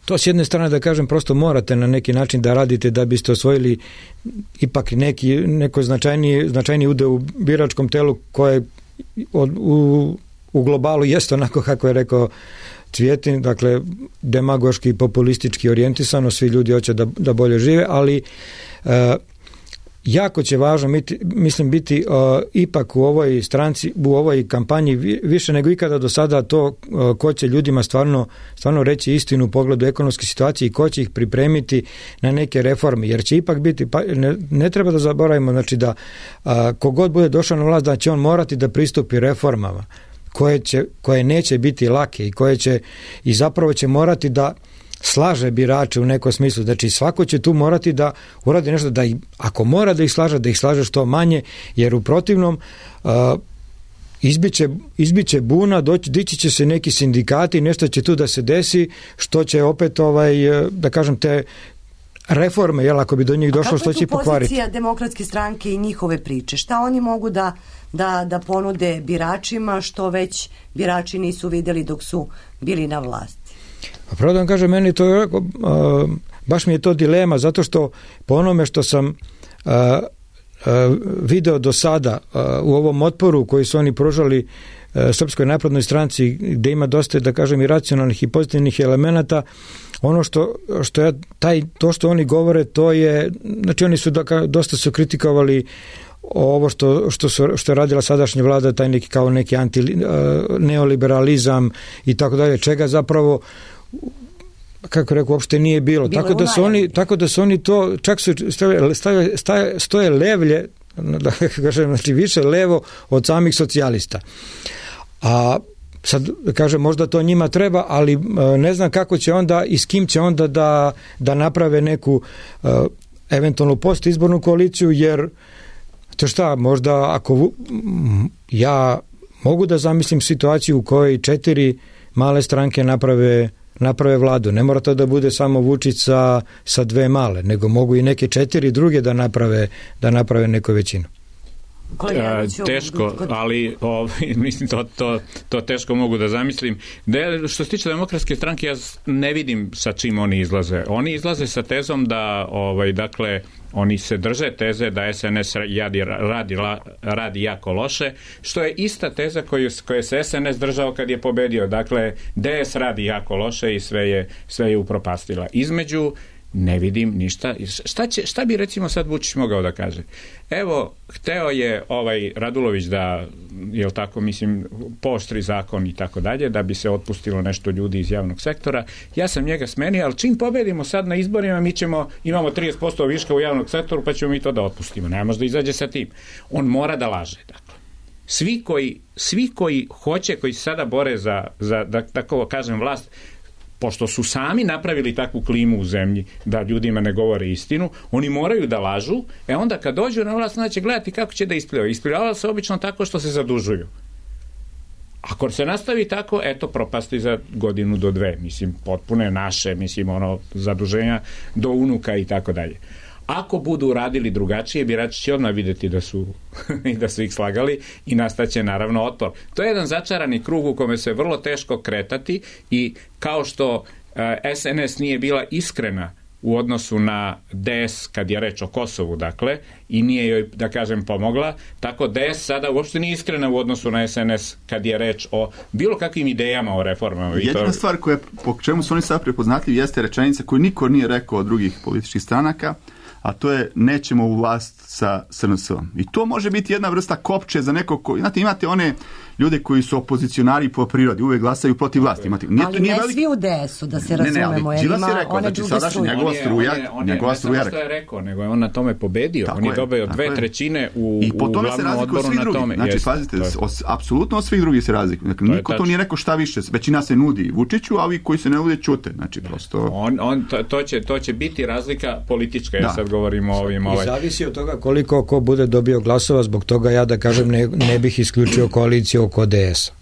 to s jedne strane, da kažem, prosto morate na neki način da radite da biste osvojili ipak neko značajniji udeo u biračkom telu koje u globalu jeste onako kako je rekao Cvijetin, dakle demagoški i populistički orijentisano, svi ljudi hoće da bolje žive, ali jako će važno biti ipak u ovoj stranci, u ovoj kampanji više nego ikada do sada to ko će ljudima stvarno reći istinu u pogledu ekonomske situacije i ko će ih pripremiti na neke reforme, jer će ipak biti, ne treba da zaboravimo, znači da kogod bude došao na vlast da će on morati da pristupi reformama koje neće biti lake i koje će i zapravo će morati da slaže birače u nekom smislu. Znači svako će tu morati da uradi nešto, da ako mora da ih slaže što manje, jer u protivnom izbiće buna, dići će se neki sindikati, nešto će tu da se desi, što će opet da kažem te reforme, jel, ako bi do njih došlo, što će i pokvariti. Kako je tu pozicija Demokratske stranke i njihove priče? Šta oni mogu da ponude biračima što već birači nisu vidjeli dok su bili na vlasti? Pa pravo da vam kažem, meni to baš mi je to dilema, zato što po onome što sam video do sada u ovom otporu koji su oni pružali Srpskoj naprednoj stranci, gde ima dosta, da kažem, i racionalnih i pozitivnih elemenata, ono to što oni govore, to je, znači oni su dosta su kritikovali ovo što je radila sadašnja vlada, taj neki neoliberalizam i tako dalje, čega zapravo, kako rekao, uopšte nije bilo. Tako da su oni to, čak su stoje levlje, da kažem, znači više levo od samih socijalista. A sad, kažem, možda to njima treba, ali ne znam kako će onda i s kim će onda da naprave neku eventualnu postizbornu koaliciju, jer to šta, možda ako ja mogu da zamislim situaciju u kojoj 4 male stranke naprave vladu. Ne mora to da bude samo Vučić sa 2 male, nego mogu i neke 4 druge da naprave neku većinu. Teško, ali mislim to teško mogu da zamislim. Što se tiče Demokratske stranke, ja ne vidim sa čim oni izlaze. Oni izlaze sa tezom da dakle oni se drže teze da SNS radi jako loše, što je ista teza koju se SNS držao kad je pobedio. Dakle, DS radi jako loše i sve je upropastila. Između ne vidim ništa. Šta bi recimo sad Vučić mogao da kaže? Evo, hteo je Radulović da, jel tako, mislim, pooštri zakon i tako dalje, da bi se otpustilo nešto ljudi iz javnog sektora. Ja sam njega smenio, ali čim pobedimo sad na izborima, imamo 30% viška u javnog sektoru, pa ćemo mi to da otpustimo. Ne može da izađe sa tim. On mora da laže, dakle. Svi koji hoće, koji se sada bore za da tako kažem, vlast, pošto su sami napravili takvu klimu u zemlji da ljudima ne govore istinu, oni moraju da lažu, onda kad dođu na vlast, onda će gledati kako će da isplivaju. Isplivaju se obično tako što se zadužuju. Ako se nastavi tako, propasti za godinu do dve. Mislim, potpune naše, zaduženja do unuka i tako dalje. Ako budu radili drugačije, birači će odmah vidjeti da su ih slagali i nastaće naravno otpor. To je jedan začarani krug u kome se vrlo teško kretati i kao što SNS nije bila iskrena u odnosu na DS kad je reč o Kosovu, dakle, i nije joj, da kažem, pomogla, tako DS sada uopšte nije iskrena u odnosu na SNS kad je reč o bilo kakvim idejama o reformama. Jedina stvar po čemu su oni sad prepoznatljivi jeste rečenica koju niko nije rekao od drugih političkih stranaka, a to je nećemo u vlast sa SNS-om. I to može biti jedna vrsta kopče za nekog ko... Znate, imate one ljude koji su opozicionari po prirodi, uvek glasaju protiv vlasti. Ali ne svi u DS-u, da se razumemo. Ne, Đilas je rekao, znači sadašnji njegova struja. Što je rekao, nego je on na tome pobedio. On je dobio 2/3 u glavnom odboru na tome. Znači, pazite, apsolutno od svih drugih se razlikuje. Niko to nije rekao šta više. Većina se nudi Vučiću, a ovi koji se ne nude ćute. Znači, prosto... To će biti razlika politička, ja sad govorimo o ovim... I zavisi od toga koliko ko bude dobio glasova, zbog toga ja da kažem ne bih isključio koaliciju oko DS-a.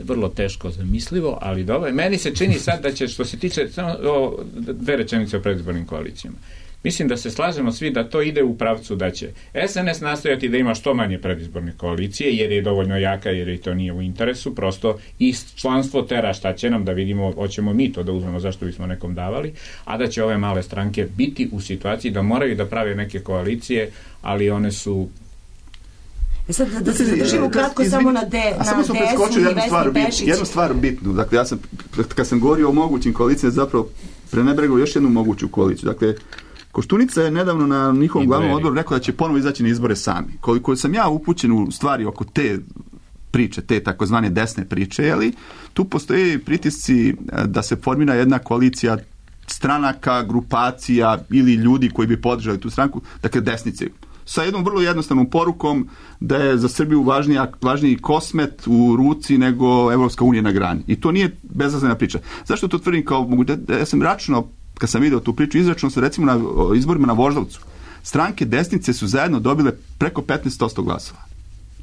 Vrlo teško zamislivo, ali dobro. Meni se čini sad da će, što se tiče samo dve rečenice o predizbornim koalicijama. Mislim da se slažemo svi da to ide u pravcu da će SNS nastojati da ima što manje predizborne koalicije, jer je dovoljno jaka, jer i to nije u interesu, prosto i članstvo tera šta će nam da vidimo, hoćemo mi to da uzmemo, zašto bismo nekom davali, a da će ove male stranke biti u situaciji da moraju da prave neke koalicije, ali one su... Sad da se zadržimo kratko samo na DS-u i Vesni Pešić. Jednu stvar bitnu. Dakle, ja sam, kad sam govorio o mogućim koalicijama, zapravo prenebregao još jednu moguću koaliciju. Dakle, Koštunica je nedavno na njihovom glavnom odboru rekao da će ponovo izaći na izbore sami. Koliko sam ja upućen u stvari oko te priče, te takozvane desne priče, ali tu postoje pritisci da se formira jedna koalicija stranaka, grupacija ili ljudi koji bi podržali tu stranku, dakle desnice, sa jednom vrlo jednostavnom porukom da je za Srbiju važniji kosmet u ruci nego Evropska unija na grani. I to nije bezazlena priča. Zašto to tvrdim kao mogu? Ja sam računao, kad sam video tu priču, izračunao sam recimo na izborima na Voždovcu. Stranke desnice su zajedno dobile preko 15% glasova.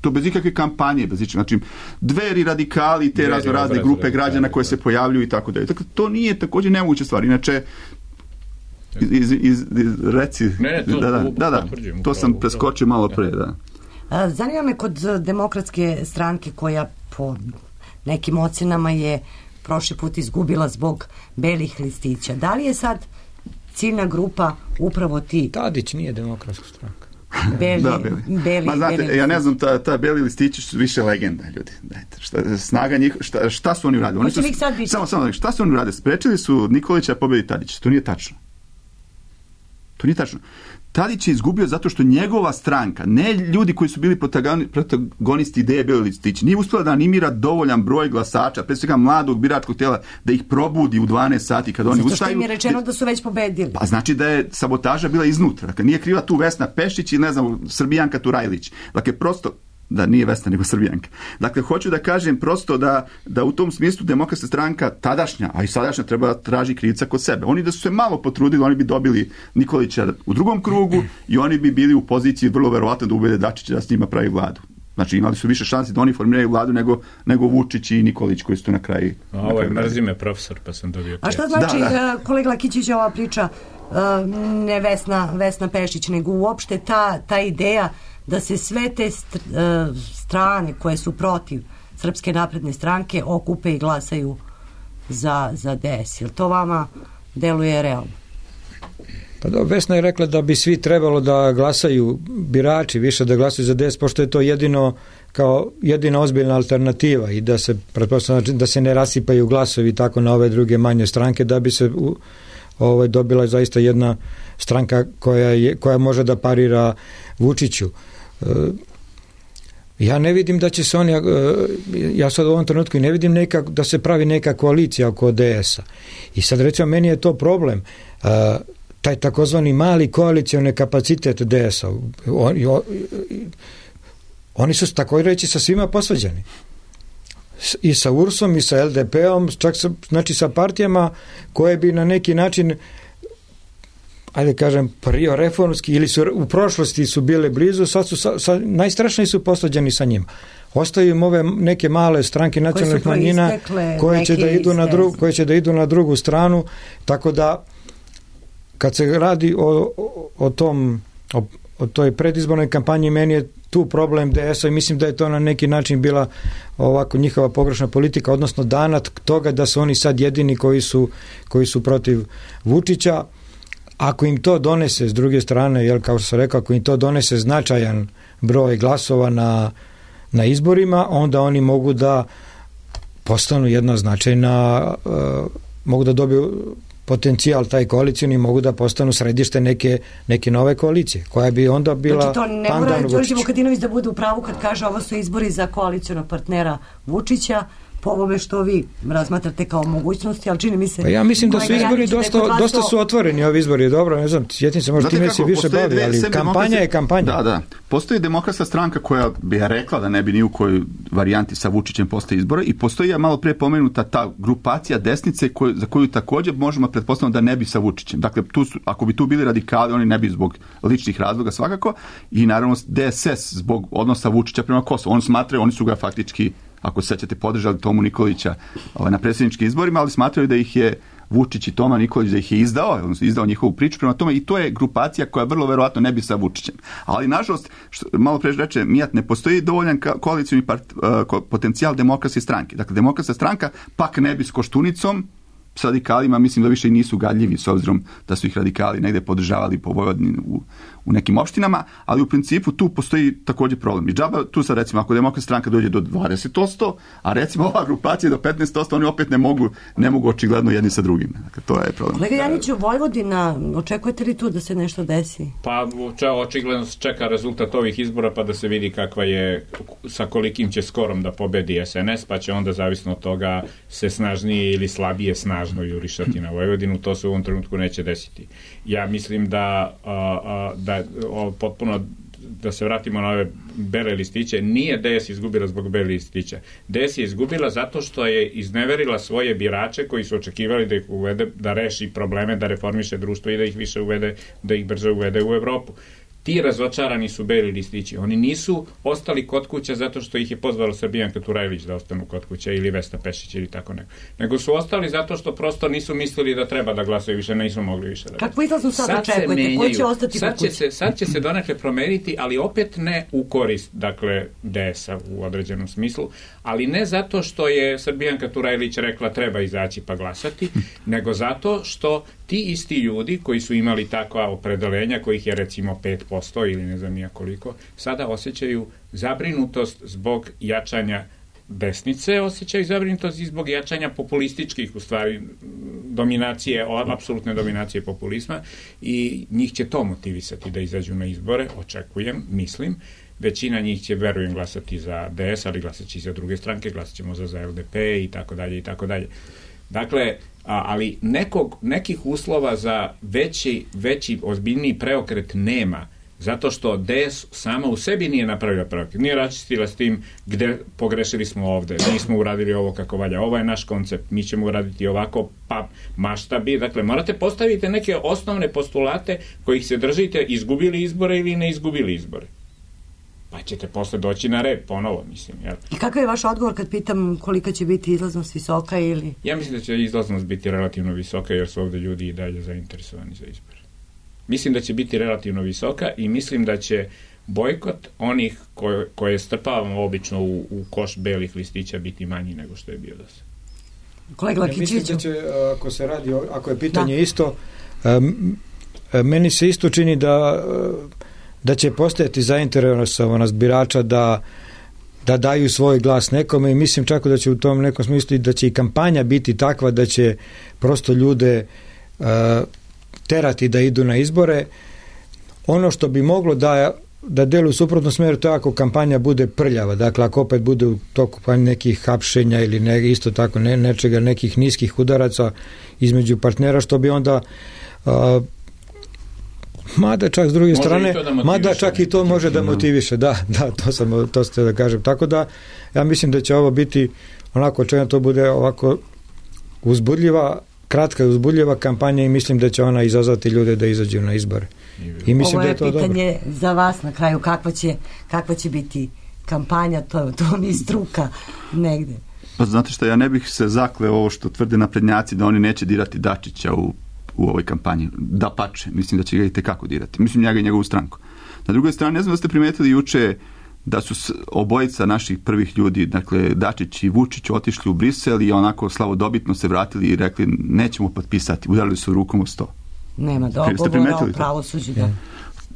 To bez ikakve kampanje, bez ičega. Znači, Dveri, radikali, te razne grupe građana koje se pojavljuju i tako dalje. Dakle, to nije također nemoguća stvar. Inače, reci... to sam preskočio malo pre, da. Zanima me kod Demokratske stranke koja po nekim ocenama je prošli put izgubila zbog belih listića. Da li je sad ciljna grupa upravo ti? Tadić nije Demokratska stranka. Beli. Znate, ja ne znam, ta beli listići su više legenda, ljudi. Dajte, snaga njih, šta su oni uradili? Samo, šta su oni uradili? Sprečili su Nikolića pobedi Tadića. To nije tačno. Tadić je izgubio zato što njegova stranka, ne ljudi koji su bili protagonisti ideje beli listići, nije uspjela da animira dovoljan broj glasača, pre svega mladog biračkog tijela, da ih probudi u 12 sati kad oni ustaju. Zato što im je rečeno da su već pobedili. Pa znači da je sabotaža bila iznutra. Dakle, nije kriva tu Vesna Pešić i ne znam, Srbijanka Turajlić. Dakle, prosto da nije Vesna nego Srbijanka. Dakle, hoću da kažem prosto da u tom smislu Demokratska stranka tadašnja, a i sadašnja treba traži krivca kod sebe. Oni da su se malo potrudili, oni bi dobili Nikolića u drugom krugu i oni bi bili u poziciji vrlo verovatno da ubede Dačića da s njima pravi vladu. Znači imali su više šansi da oni formiraju vladu nego Vučić i Nikolić koji su tu na kraju. Ovo je mrzi me profesor pa sam dobio. A šta znači, kolega Lakićić, ova priča ne Vesna Pešić, nego uopšte ta ideja da se sve te strane koje su protiv Srpske napredne stranke okupe i glasaju za DS. Jel to vama deluje realno? Pa da, Vesna je rekla da bi svi trebalo da glasaju, birači više da glasaju za DS, pošto je to jedina ozbiljna alternativa i da se pretpostavlja da se ne rasipaju glasovi tako na ove druge manje stranke, da bi se dobila zaista jedna stranka koja može da parira Vučiću. Ja ne vidim da će se oni, ja sad u ovom trenutku ne vidim da se pravi neka koalicija oko DS-a. I sad recimo meni je to problem. Taj takozvani mali koalicioni kapacitet DS-a. Oni su tako reći sa svima posvađani. I sa URS-om i sa LDP-om, čak sa partijama koje bi na neki način, ajde kažem, reformski ili su u prošlosti su bile blizu, sad su najstrašniji su posvađani sa njima. Ostaju im ove neke male stranke nacionalnih manjina koje će da idu na drugu stranu, tako da kad se radi o toj predizbornoj kampanji, meni je tu problem DS-a i mislim da je to na neki način bila ovako njihova pogrešna politika, odnosno danat toga da su oni sad jedini koji su protiv Vučića. Ako im to donese s druge strane, jel, kao što sam rekao, ako im to donese značajan broj glasova na izborima, onda oni mogu da postanu jedna značajna, mogu da dobiju potencijal taj koalicijni, mogu da postanu središte neke nove koalicije, koja bi onda bila znači to ne mora Đorđe Vukadinović da bude u pravu kad kaže ovo su izbori za koalicijonog partnera Vučića, po ovome što vi razmatrate kao mogućnosti, ali čini mi se... Pa ja mislim da su izbori dosta su otvoreni, ovi izbori, dobro, ne znam, sjetim se, možda time se više bavi, ali kampanja je kampanja. Da. Postoji demokratska stranka koja bi rekla da ne bi ni u kojoj varijanti sa Vučićem postoji izbora i postoji malo prije pomenuta ta grupacija desnice za koju također možemo pretpostaviti da ne bi sa Vučićem. Dakle, ako bi tu bili radikali, oni ne bi zbog ličnih razloga svakako i naravno DSS zbog odnosa Vučića prema Kosovu. Oni su ga faktički, ako se sećate, podržali Tomu Nikolića na predsjedničkim izborima, ali smatraju da ih je Vučić i Toma Nikolić da ih je izdao njihovu priču prema tome i to je grupacija koja vrlo verovatno ne bi sa Vučićem. Ali nažalost, malo pre reče Mijat, ne postoji dovoljan koalicioni potencijal demokratske stranke. Dakle, demokratska stranka pak ne bi s Koštunicom, s radikalima, mislim da više i nisu gadljivi s obzirom da su ih radikali negde podržavali po Vojvodini u nekim opštinama, ali u principu tu postoji također problem. I džaba, tu sad recimo, ako demokratska stranka dođe do 20%, a recimo ova grupacija do 15%, oni opet ne mogu očigledno jedni sa drugim. Dakle, to je problem. Kolega Janiću, Vojvodina, očekujete li tu da se nešto desi? Pa očigledno se čeka rezultat ovih izbora pa da se vidi kakva je, sa kolikim će skorom da pobedi SNS, pa će onda zavisno od toga se snažnije ili slabije snažno jurišati na Vojvodinu. To se u ovom trenutku neće desiti. Ja mislim da potpuno da se vratimo na ove bele listiće, nije DS izgubila zbog bele listića. DS je izgubila zato što je izneverila svoje birače koji su očekivali da ih uvede, da reši probleme, da reformiše društvo i da ih više uvede, da ih brže uvede u Evropu. Ti razočarani su beli listići. Oni nisu ostali kod kuća zato što ih je pozvala Srbijanka Turajlić da ostanu kod kuća ili Vesna Pešić ili tako neko. Nego su ostali zato što prosto nisu mislili da treba da glasaju više, nisu mogli više da glasaju. Kako izlazno sad očekujete? Ko će ostati kod kuće? Sad će se donekle promeniti, ali opet ne u korist, dakle, DS-a u određenom smislu, ali ne zato što je Srbijanka Turajlić rekla treba izaći pa glasati, nego zato što ti isti ljudi koji su imali takva opredelenja, kojih je recimo 5% ili ne znam nija koliko, sada osjećaju zabrinutost zbog jačanja desnice, osjećaju zabrinutost i zbog jačanja populističkih, u stvari, dominacije, apsolutne dominacije populizma i njih će to motivisati da izađu na izbore, očekujem, mislim. Većina njih će, verujem, glasati za DS, ali glasat će i za druge stranke, glasat ćemo za LDP i tako dalje i tako dalje. Dakle, ali nekih uslova za veći ozbiljniji preokret nema, zato što DS sama u sebi nije napravila preokret, nije raščistila s tim gde pogrešili smo ovde, nismo uradili ovo kako valja, ovo je naš koncept, mi ćemo uraditi ovako, pa mašta bi, dakle morate postaviti neke osnovne postulate kojih se držite, izgubili izbore ili ne izgubili izbore. Pa ćete posle doći na red ponovo, mislim. Jel? I kakav je vaš odgovor kad pitam kolika će biti izlaznost visoka ili... Ja mislim da će izlaznost biti relativno visoka jer su ovde ljudi i dalje zainteresovani za izbor. Mislim da će biti relativno visoka i mislim da će bojkot onih koje strpavamo obično u koš belih listića biti manji nego što je bio do sada. Kolega Lakićeviću. Mislim da će, ako se radi, ako je pitanje isto, meni se isto čini da će postojati zainteresovanost birača da daju svoj glas nekome i mislim čak da će u tom nekom smislu da će i kampanja biti takva da će prosto ljude terati da idu na izbore. Ono što bi moglo da deluje u suprotnom smeru, to je ako kampanja bude prljava, dakle ako opet bude u toku nekih hapšenja ili isto tako nečega, nekih niskih udaraca između partnera, što bi onda mada čak s druge strane, mada čak i to može da motiviše, da, to ste da kažem, tako da ja mislim da će ovo biti onako, čega to bude ovako uzbudljiva, kratka i uzbudljiva kampanja i mislim da će ona izazvati ljude da izađu na izbore. I mislim ovo je da je to pitanje dobro. za vas na kraju, kakva će biti kampanja, to mi je struka negde. Pa znate što, ja ne bih se zakleo ovo što tvrde naprednjaci da oni neće dirati Dačića u ovoj kampanji. Da pače, mislim da će ga i tekako dirati. Mislim njega i njegovu stranku. Na drugoj strani, ne znam da ste primetili juče da su obojica naših prvih ljudi, dakle Dačić i Vučić, otišli u Brisel i onako slavodobitno se vratili i rekli nećemo potpisati, udarili su rukom o sto. Nema dogovora o pravosuđu.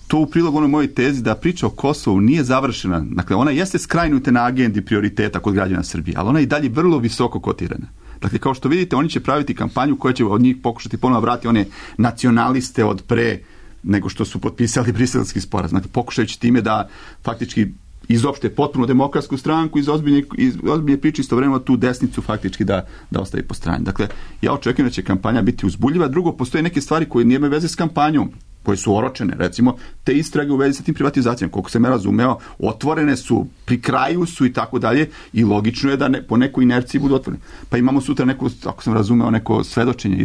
To u prilog onoj mojoj tezi da priča o Kosovu nije završena. Dakle, ona jeste skrajnuta na agendi prioriteta kod građana Srbije, ali ona je i dalje vrlo visoko kotirana. Dakle, kao što vidite, oni će praviti kampanju koja će od njih pokušati ponovno vratiti one nacionaliste od pre nego što su potpisali briselski sporazum. Dakle, pokušajući time da faktički izopšte potpuno demokratsku stranku iz ozbiljne priče, istovremeno tu desnicu faktički da ostavi po strani. Dakle, ja očekujem da će kampanja biti uzbudljiva. Drugo, postoje neke stvari koje nemaju veze s kampanjom, koje su oročene, recimo te istrage u vezi sa tim privatizacijama, koliko sam ja razumeo, otvorene su, pri kraju su i tako dalje i logično je da po nekoj inerciji budu otvorene. Pa imamo sutra neko, ako sam razumeo, neko svedočenje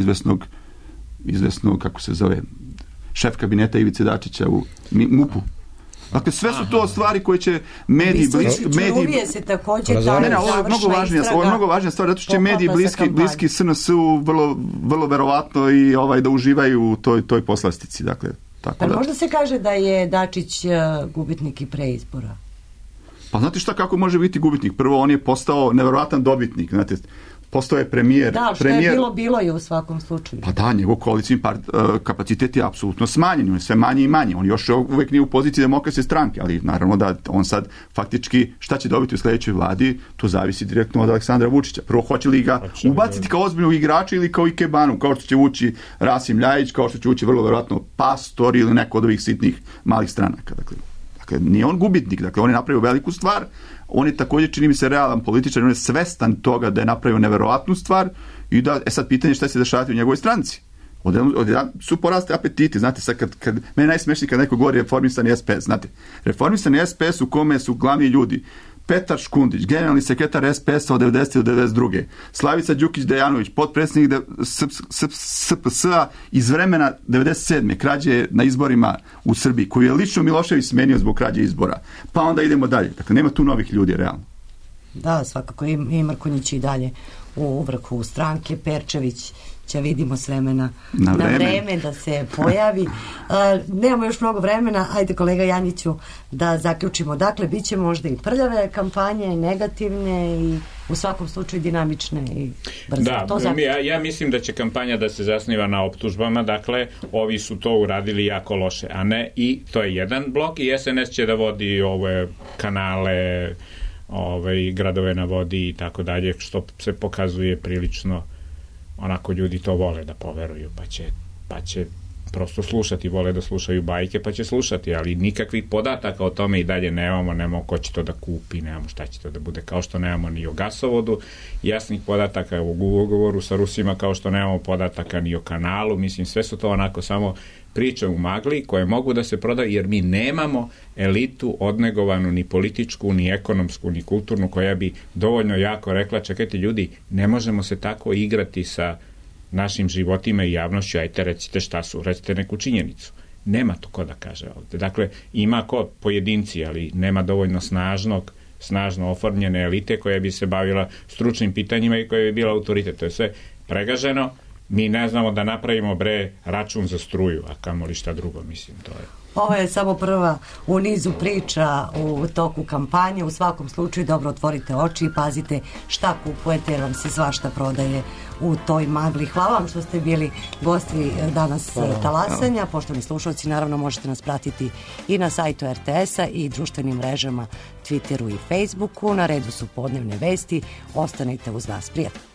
izvesnog, kako se zove, šef kabineta Ivice Dačića u MUP-u. Dakle, sve su to stvari koje će mediji Čuruvije se također ta ovo je mnogo važnija stvar, zato što će mediji bliski SNS-u vrlo verovatno i da uživaju u toj poslastici. Dakle, tako da. Možda se kaže da je Dačić gubitnik i preizbora? Pa znate šta, kako može biti gubitnik? Prvo, on je postao neverovatan dobitnik, znate, postao je premijer. Da, što je bilo je u svakom slučaju. Pa da, njegov koalicijni kapacitet je apsolutno smanjen, on je sve manje i manje. On još uvek nije u poziciji demokratske stranke, ali naravno da on sad faktički šta će dobiti u sledećoj vladi, to zavisi direktno od Aleksandra Vučića. Prvo, hoće li ga ubaciti kao ozbiljnog igrača ili kao ikebanu, kao što će ući Rasim Ljajić, kao što će ući vrlo verovatno Pastor ili neko od ovih sitnih malih stranaka. Dakle, nije on gubitnik, dakle on je napravio veliku stvar. On je također, čini mi se, realan političar, on je svestan toga da je napravio neverovatnu stvar i da, sad pitanje šta će se dešavati u njegovoj stranci. Odjedan su poraste apetiti, znate, sad kad meni najsmešnije kad neko govori reformisani SPS, znate, reformisani SPS u kome su glavni ljudi Petar Škundić, generalni sekretar SPS-a od 90. do 92. Slavica Đukić-Dejanović, potpredsjednik SPS-a iz vremena 97. krađe na izborima u Srbiji, koju je lično Milošević smenio zbog krađe izbora. Pa onda idemo dalje. Dakle, nema tu novih ljudi, realno. Da, svakako i Mrkonjić i dalje u vrhu stranke. Perčević će vidimo s vremena na vreme da se pojavi. Nemamo još mnogo vremena. Ajde, kolega Janjiću, da zaključimo. Dakle, bit će možda i prljave kampanje, negativne i u svakom slučaju dinamične i brze. Da, ja mislim da će kampanja da se zasniva na optužbama, dakle, ovi su to uradili jako loše, a ne, i to je jedan blok i SNS će da vodi ove kanale, gradove na vodi i tako dalje, što se pokazuje prilično onako, ljudi to vole da poveruju, pa će prosto slušati, vole da slušaju bajke, pa će slušati, ali nikakvih podataka o tome i dalje nemamo ko će to da kupi, nemamo šta će to da bude, kao što nemamo ni o gasovodu, jasnih podataka u ugovoru sa Rusima, kao što nemamo podataka ni o kanalu, mislim, sve su to onako samo priče u magli koje mogu da se prodaju, jer mi nemamo elitu odnegovanu ni političku, ni ekonomsku, ni kulturnu, koja bi dovoljno jako rekla, čekajte ljudi, ne možemo se tako igrati sa našim životima i javnošću, ajte recite šta su, recite neku činjenicu. Nema to ko da kaže ovde. Dakle, ima ko pojedinci, ali nema dovoljno snažno oformljene elite koja bi se bavila stručnim pitanjima i koja bi bila autoritet. To je sve pregaženo. Mi ne znamo da napravimo račun za struju, a kamoli šta drugo, mislim, to je. Ovo je samo prva u nizu priča u toku kampanje. U svakom slučaju dobro otvorite oči i pazite šta kupujete jer vam se svašta prodaje u toj magli. Hvala vam što ste bili gosti danas Talasanja. Poštovani slušalci, naravno možete nas pratiti i na sajtu RTS-a i društvenim mrežama Twitteru i Facebooku. Na redu su podnevne vesti. Ostanite uz nas. Prijatno.